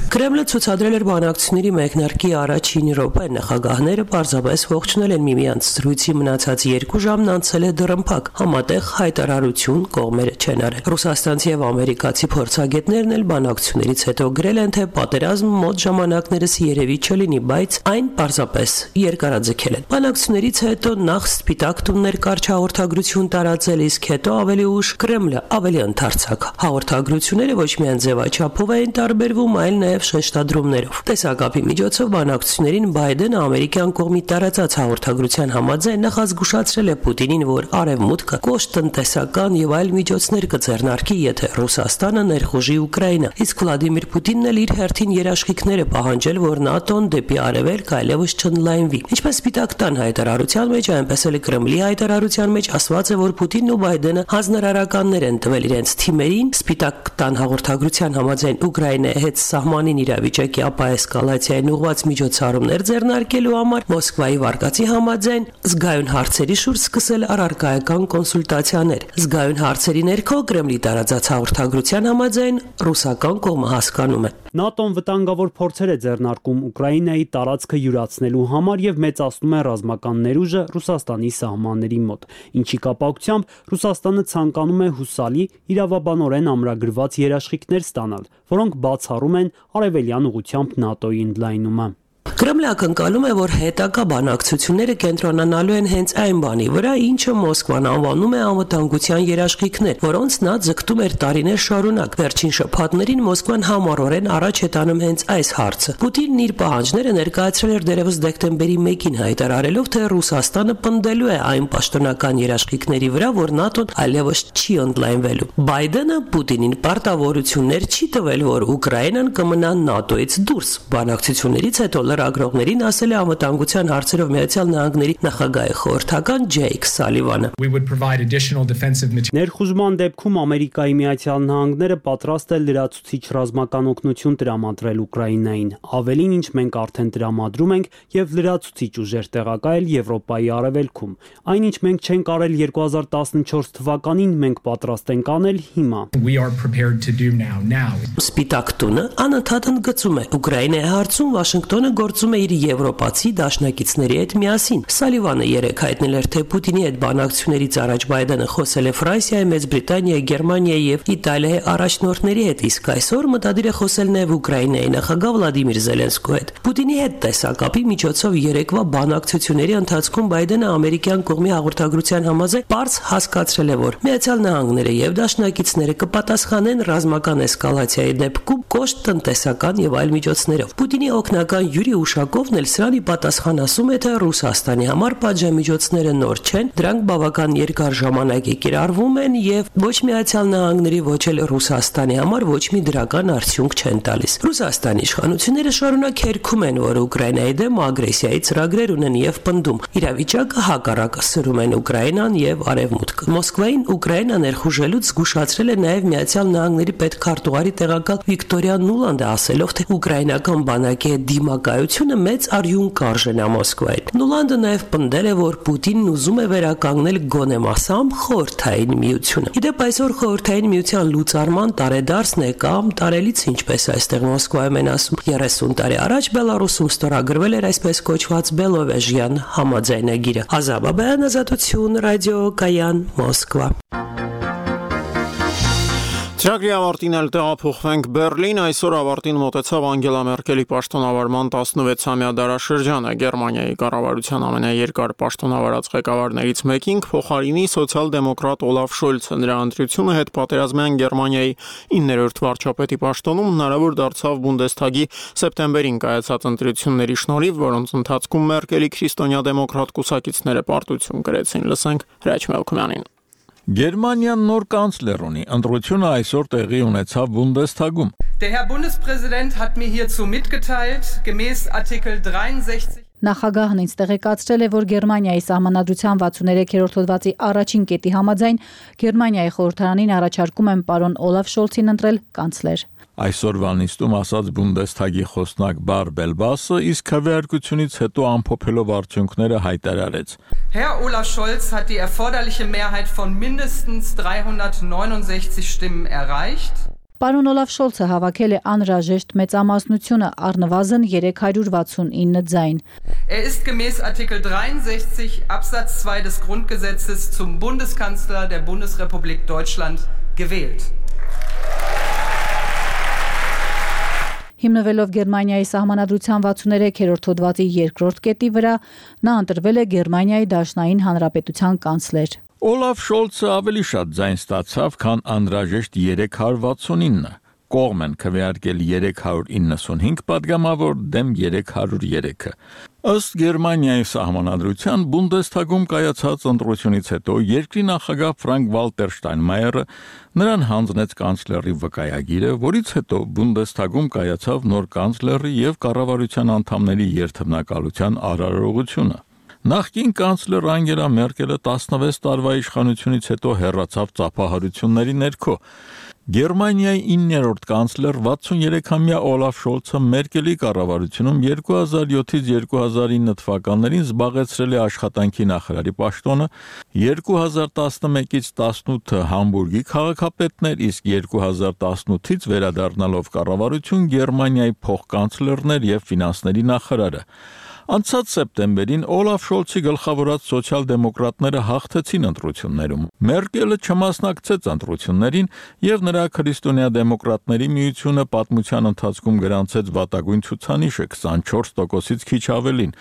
Կրեմլը ցուցադրել էր բանակցությունների մեկնարկի առաջին րոպեն, նախագահները պարզապես ողջունել են միմյանց, զրույցի մնացած երկու ժամն անցել է դռնփակ, համատեղ հայտարարություն կողմերը չեն արել։ Ռուսաստանցի եւ ամերիկացի փորձագետներն էլ բանակցություններից հետո գրել են, թե պատերազմ մոտ ժամանակներս երևի չլինի, բայց այն պարզապես երկարաձգել են։ Բանակցություններից հետո նախ Սպիտակ տուններ կարճ հաղորդագրություն տարածել, իսկ հետո ավելի ուշ Կրեմլը ավելի ընդարձակ։ Հաղորդագրությունները ոչ միայն ձևաչափով էին տարբերվում, այլ նաեւ շեշտադրումներով։ Տեսակապի միջոցով բանակցություններին Բայդենը ամերիկյան կողմի տարածած հաղորդագրության համաձայն նախազգուշացրել է Պուտինին, որ արևմուտքը կոշտ տնտեսական եւ այլ միջոցներ կձեռնարկի, եթե Ռուսաստանը ներխուժի Ուկրաինա։ Իսկ Վլադիմիր Պուտինն էլ իր հերթին երաշխիքներ է պահանջել, որ ՆԱՏՕ-ն դեպի արևելք այլևս չընդլայնվի։ Ինչպես Սպիտակ տան հայտարարության մեջ, այնպես էլ Կրեմլի հայտարարության մեջ ասված է, որ Պուտինն ու Բայդենը հանձնարարականներ են տվել իրենց թիմերին Սպիտակ տան հաղորդագրության համաձայն Ուկրաինայի հետ սահմանին իրավիճակի ապա էսկալացիային ուղղված միջոցառումներ ձեռնարկելու համար Մոսկվայի վարկածի համաձայն զգայուն հարցերի շուրջ սկսել առարկայական կոնսուլտացիաներ։ Զգայուն հարցերի ներքո Կրեմլի տարածած հաղորդագրության համաձայն ռուսական կողմը հասկանում է։ ՆԱՏՕ-ն վտանգավոր փորձեր է ձեռնարկում Ուկրաինայի տարածքը յուրացնելու համար եւ մեծացնում է ռազմական ներուժը Ռուսաստանի սահմանների մոտ, ինչի կապակցությամբ Ռուսաստանը ցանկանում է հուսալի իրավաբանորեն ամրագրված երաշխիքներ ստանալ, որոնք բացառում են արևելյան ուղությամբ ՆԱՏՕ-ի ընդլայնումը։ Կրեմլը ակնկալում է, որ հետագա բանակցությունները կենտրոնանալու են հենց այն բանի վրա, ինչը Մոսկվան անվանում է անվտանգության երաշխիքներ, որոնց նա ձգտում էր տարիներ շարունակ։ Վերջին շաբաթներին Մոսկվան համառորեն առաջ է տանում հենց այս հարցը։ Պուտինն իր պահանջները ներկայացրել էր դեռևս դեկտեմբերի մեկին, հայտարարելով, թե Ռուսաստանը պնդելու է այն պաշտոնական երաշխիքների վրա, որ ՆԱՏՕ-ն այլևս չի ընդլայնվելու։ Բայդենը Պուտինին պարտավորություններ չի տվել, որ Ուկրաինան կմնա ՆԱՏՕ-ից դուրս։ Բանակցություններից հետո լրագրողներին ասել է անվտանգության հարցերով Միացյալ Նահանգների նախագահի խորհրդական Ջեյք Սալիվանը։ Ներխուժման դեպքում Ամերիկայի Միացյալ Նահանգները պատրաստ է լրացուցիչ ռազմական օգնություն տրամադրել Ուկրաինային։ Ավելին, ինչ մենք արդեն տրամադրում ենք եւ լրացուցիչ ուժեր տեղակայել Եվրոպայի արևելքում։ Այն, ինչ մենք չենք արել երկու հազար տասնչորս թվականին, մենք պատրաստ ենք անել հիմա։ Սպիտակ տունը անընդհատ ընդգծում է Ուկրաինայի հարցում Վաշինգտոնը գործում է իր եվրոպացի դաշնակիցների հետ միասին։ Սալիվանը երեկ հայտնել էր, թե Պուտինի հետ բանակցություններից առաջ Բայդենը խոսել է Ֆրանսիայի, Մեծ Բրիտանիայի, Գերմանիայի եւ Իտալիայի առաջնորդների հետ, իսկ այսօր մտադիր է խոսել նաեւ Ուկրաինայի նախագահ Վլադիմիր Զելենսկու հետ։ Պուտինի հետ տեսակապի միջոցով երեկվա բանակցությունների ընթացքում Բայդենը ամերիկյան կողմի հաղորդագրության համաձայն պարզ հասկացրել է, որ Միացյալ Նահանգները եւ դաշնակիցները կպատասխանեն ռազմական էսկալացիայի դեպքում կոշտ տնտեսական եւ այլ միջոցներով։ Պուտինի օգնական Յուրի Ուշակովն էլ սրան ի պատասխան ասում է, թե Ռուսաստանի համար պատժամիջոցները նոր չեն, դրանք բավական երկար ժամանակ է կիրառվում են եւ ոչ Միացյալ Նահանգների, ոչ էլ Ռուսաստանի համար ոչ մի դրական արդյունք չեն տալիս։ Ռուսաստանի իշխանությունները շարունակ հերքում են, որ Ուկրաինայի դեմ ագրեսիայի ծրագրեր ունեն եւ պնդում, իրավիճակը հակառակը սրում են Ուկրաինան եւ Արևմուտքը։ Մոսկվային Ուկրաինա ներխուժելուց զգուշացրել է նաեւ Միացյալ Նահանգների պետքարտուղարի տեղակալ Վիկտորիա Նուլանդը, ասելով, թե ուկրաինական բանակի դիմակայությունը մեծ արյուն կարժեն է Մոսկվային։ Նուլանդը նաև պնդել է, որ Պուտինն ուզում է վերականգնել գոնե մասամբ խորհրդային միությունը։ Իդեպ այսօր խորհրդային միության լուծարման տարեդարձն է կամ տարելից, ինչպես այստեղ Մոսկվայում են ասում, երեսուն տարի առաջ Բելարուսում ստորագրվել էր այսպես կոչված Բելովեժյան համաձայնագիրը։ Ազատ Բաբայան, Ազատություն, ռադիո Կայան, Մոսկվա։ Ծրագրի ավարտին էլ տեղափոխվենք Բերլին, այսօր ավարտին մոտեցավ Անգելա Մերկելի պաշտոնավարման տասնվեցամյա դարաշրջանը։ Գերմանիայի կառավարության ամենաերկար պաշտոնավարած ղեկավարներից մեկին փոխարինի սոցիալ-դեմոկրատ Օլաֆ Շոլցը։ Նրա ընտրությունը հետպատերազմյան Գերմանիայի իններորդ վարչապետի պաշտոնում հնարավոր դարձավ Բունդեսթագի սեպտեմբերին կայացած ընտրությունների շնորհիվ, որոնց ընթացքում Մերկելի քրիստոնյա դեմոկրատ կուսակիցները պարտություն կրեցին։ Լսենք Հրաչ Մելքումյանին։ Գերմանիան նոր կանցլեր ունի, ընտրությունը այսօր տեղի ունեցավ Բունդեսթագում։ Der Herr Bundespräsident hat mir hierzu mitgeteilt, gemäß Artikel dreiundsechzig Նախագահն ինձ տեղեկացրել է, որ Գերմանիայի սահմանադրության վաթսուններեքերորդ հոդվածի առաջին կետի համաձայն Գերմանիայի խորհրդարանին առաջարկում են պարոն Օլաֆ Շոլցին ընտրել կանցլեր։ Այսօրվա նիստում ասաց Բունդեսթագի խոսնակ Բարբելբասը, իսկ քվեարկությունից հետո ամփոփելով արդյունքները հայտարարեց. Herr Olaf Scholz hat die erforderliche Mehrheit von mindestens dreihundertneunundsechzig Stimmen erreicht. Պարոն Օլաֆ Շոլցը հավաքել է անհրաժեշտ մեծամասնությունը, առնվազն երեք հարյուր վաթսունինը ձայն։ Er ist gemäß Artikel dreiundsechzig Absatz zwei des Grundgesetzes zum Bundeskanzler der Bundesrepublik Deutschland gewählt. Հիմնվելով Գերմանիայի սահմանադրության վաթսուններեքերորդ հոդվածի երկրորդ կետի վրա, նա ընտրվել է Գերմանիայի Դաշնային Հանրապետության կանցլեր։ Օլաֆ Շոլցը ավելի շատ ձայն ստացավ, քան անհրաժեշտ երեք հարյուր վաթսունինը։ Կողմ են քվեարկել երեք հարյուր իննսունհինգ падգամավոր դեմ երեք հարյուր երեքը։ Ըստ Գերմանիայի սահմանադրության Բունդեսթագում կայացած ընտրությունից հետո երկրի նախագահ Ֆրանկ Վալտեր Շտայնմայերը նրան հանձնեց կանցլերի վկայագիրը, որից հետո Բունդեսթագում կայացավ նոր կանցլերի եւ կառավարության անդամների երթևնակալության արարողությունը։ Նախկին կանցլեր Անգելա Մերկելը տասնվեց տարվա իշխանությունից հետո հեռացավ ծափահարությունների ներքո։ Գերմանիայի իններորդ կանցլեր վաթսուներեքամյա Օլաֆ Շոլցը Մերկելի կառավարությունում երկու հազար յոթից երկու հազար ինը թվականներին զբաղեցրել է աշխատանքի նախարարի պաշտոնը, երկու հազար տասնմեկից տասնութը Համբուրգի քաղաքապետներ, իսկ երկու հազար տասնութից վերադառնալով կառավարություն Գերմանիայի փոխկանցլերներ եւ ֆինանսների նախարարը։ Անցած սեպտեմբերին Օլաֆ Շոլցի գլխավորած սոցիալ-դեմոկրատները հաղթեցին ընտրություններում։ Մերկելը չմասնակցեց ընտրություններին եւ նրա քրիստոնյա-դեմոկրատների միությունը պատմության ընթացքում գրանցեց վատագույն ցուցանիշը քսանչորս տոկոսից քիչ ավելին։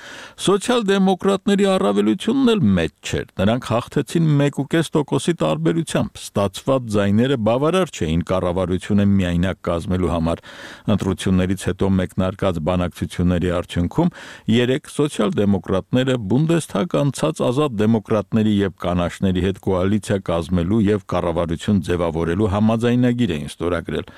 Սոցիալ-դեմոկրատների առավելությունն էլ մեծ չէր։ Նրանք հաղթեցին մեկ ու կես տոկոսի տարբերությամբ։ Ստացված ձայները բավարար չէին կառավարությունը միայնակ կազմելու համար։ Ընտրություններից հետո մեկնարկած բանակցությունների արդյունքում երեք սոցիալ-դեմոկրատները Բունդեսթագ անցած ազատ դեմոկրատների եւ կանաչների հետ կոալիցիա կազմելու եւ կառավարություն ձևավորելու համաձայնագիր էին ստորագրել։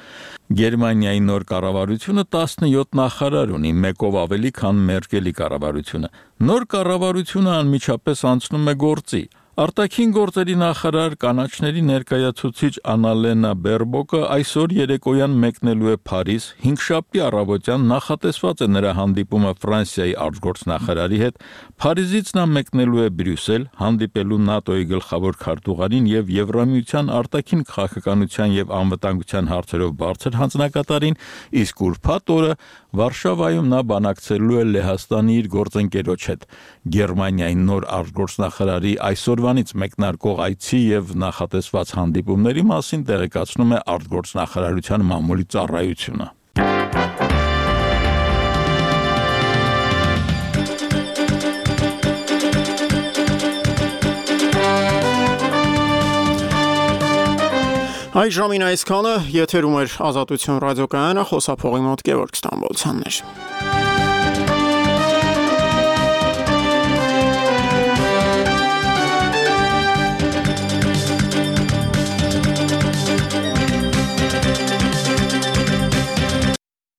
Գերմանիայի նոր կառավարությունը տասնյոթ նախարար ունի, մեկով ավելի, քան Մերկելի կառավարությունը։ Նոր կառավարությունը անմիջապես անցնում է գործի։ Արտաքին գործերի նախարար կանաչների ներկայացուցիչ Անալենա Բերբոկը այսօր երեկոյան մեկնելու է Փարիզ, հինգշաբթի առավոտյան նախատեսված է նրա հանդիպումը Ֆրանսիայի արտգործնախարարի հետ, Փարիզից նա մեկնելու է Բրյուսել, հանդիպելու ՆԱՏՕ-ի գլխավոր քարտուղարին եւ Եվրամիության արտաքին քաղաքականության եւ անվտանգության հարցերով բարձր հանձնակատարին, իսկ ուրբաթ օրը Վարշավայում նա բանակցելու է Լեհաստանի իր գործընկերոջ հետ։ Գերմանիայի նոր արտգործնախարարի այսօրվանից մեկնարկող այցի եւ նախատեսված հանդիպումների մասին տեղեկացնում է արտգործնախարարության մամուլի ծառայությունը։ Այժմին այսքանը եթերում էր Ազատություն ռադիոկայանը, խոսափողի մոտ Գևորգ Ստամբոլցյանն էր։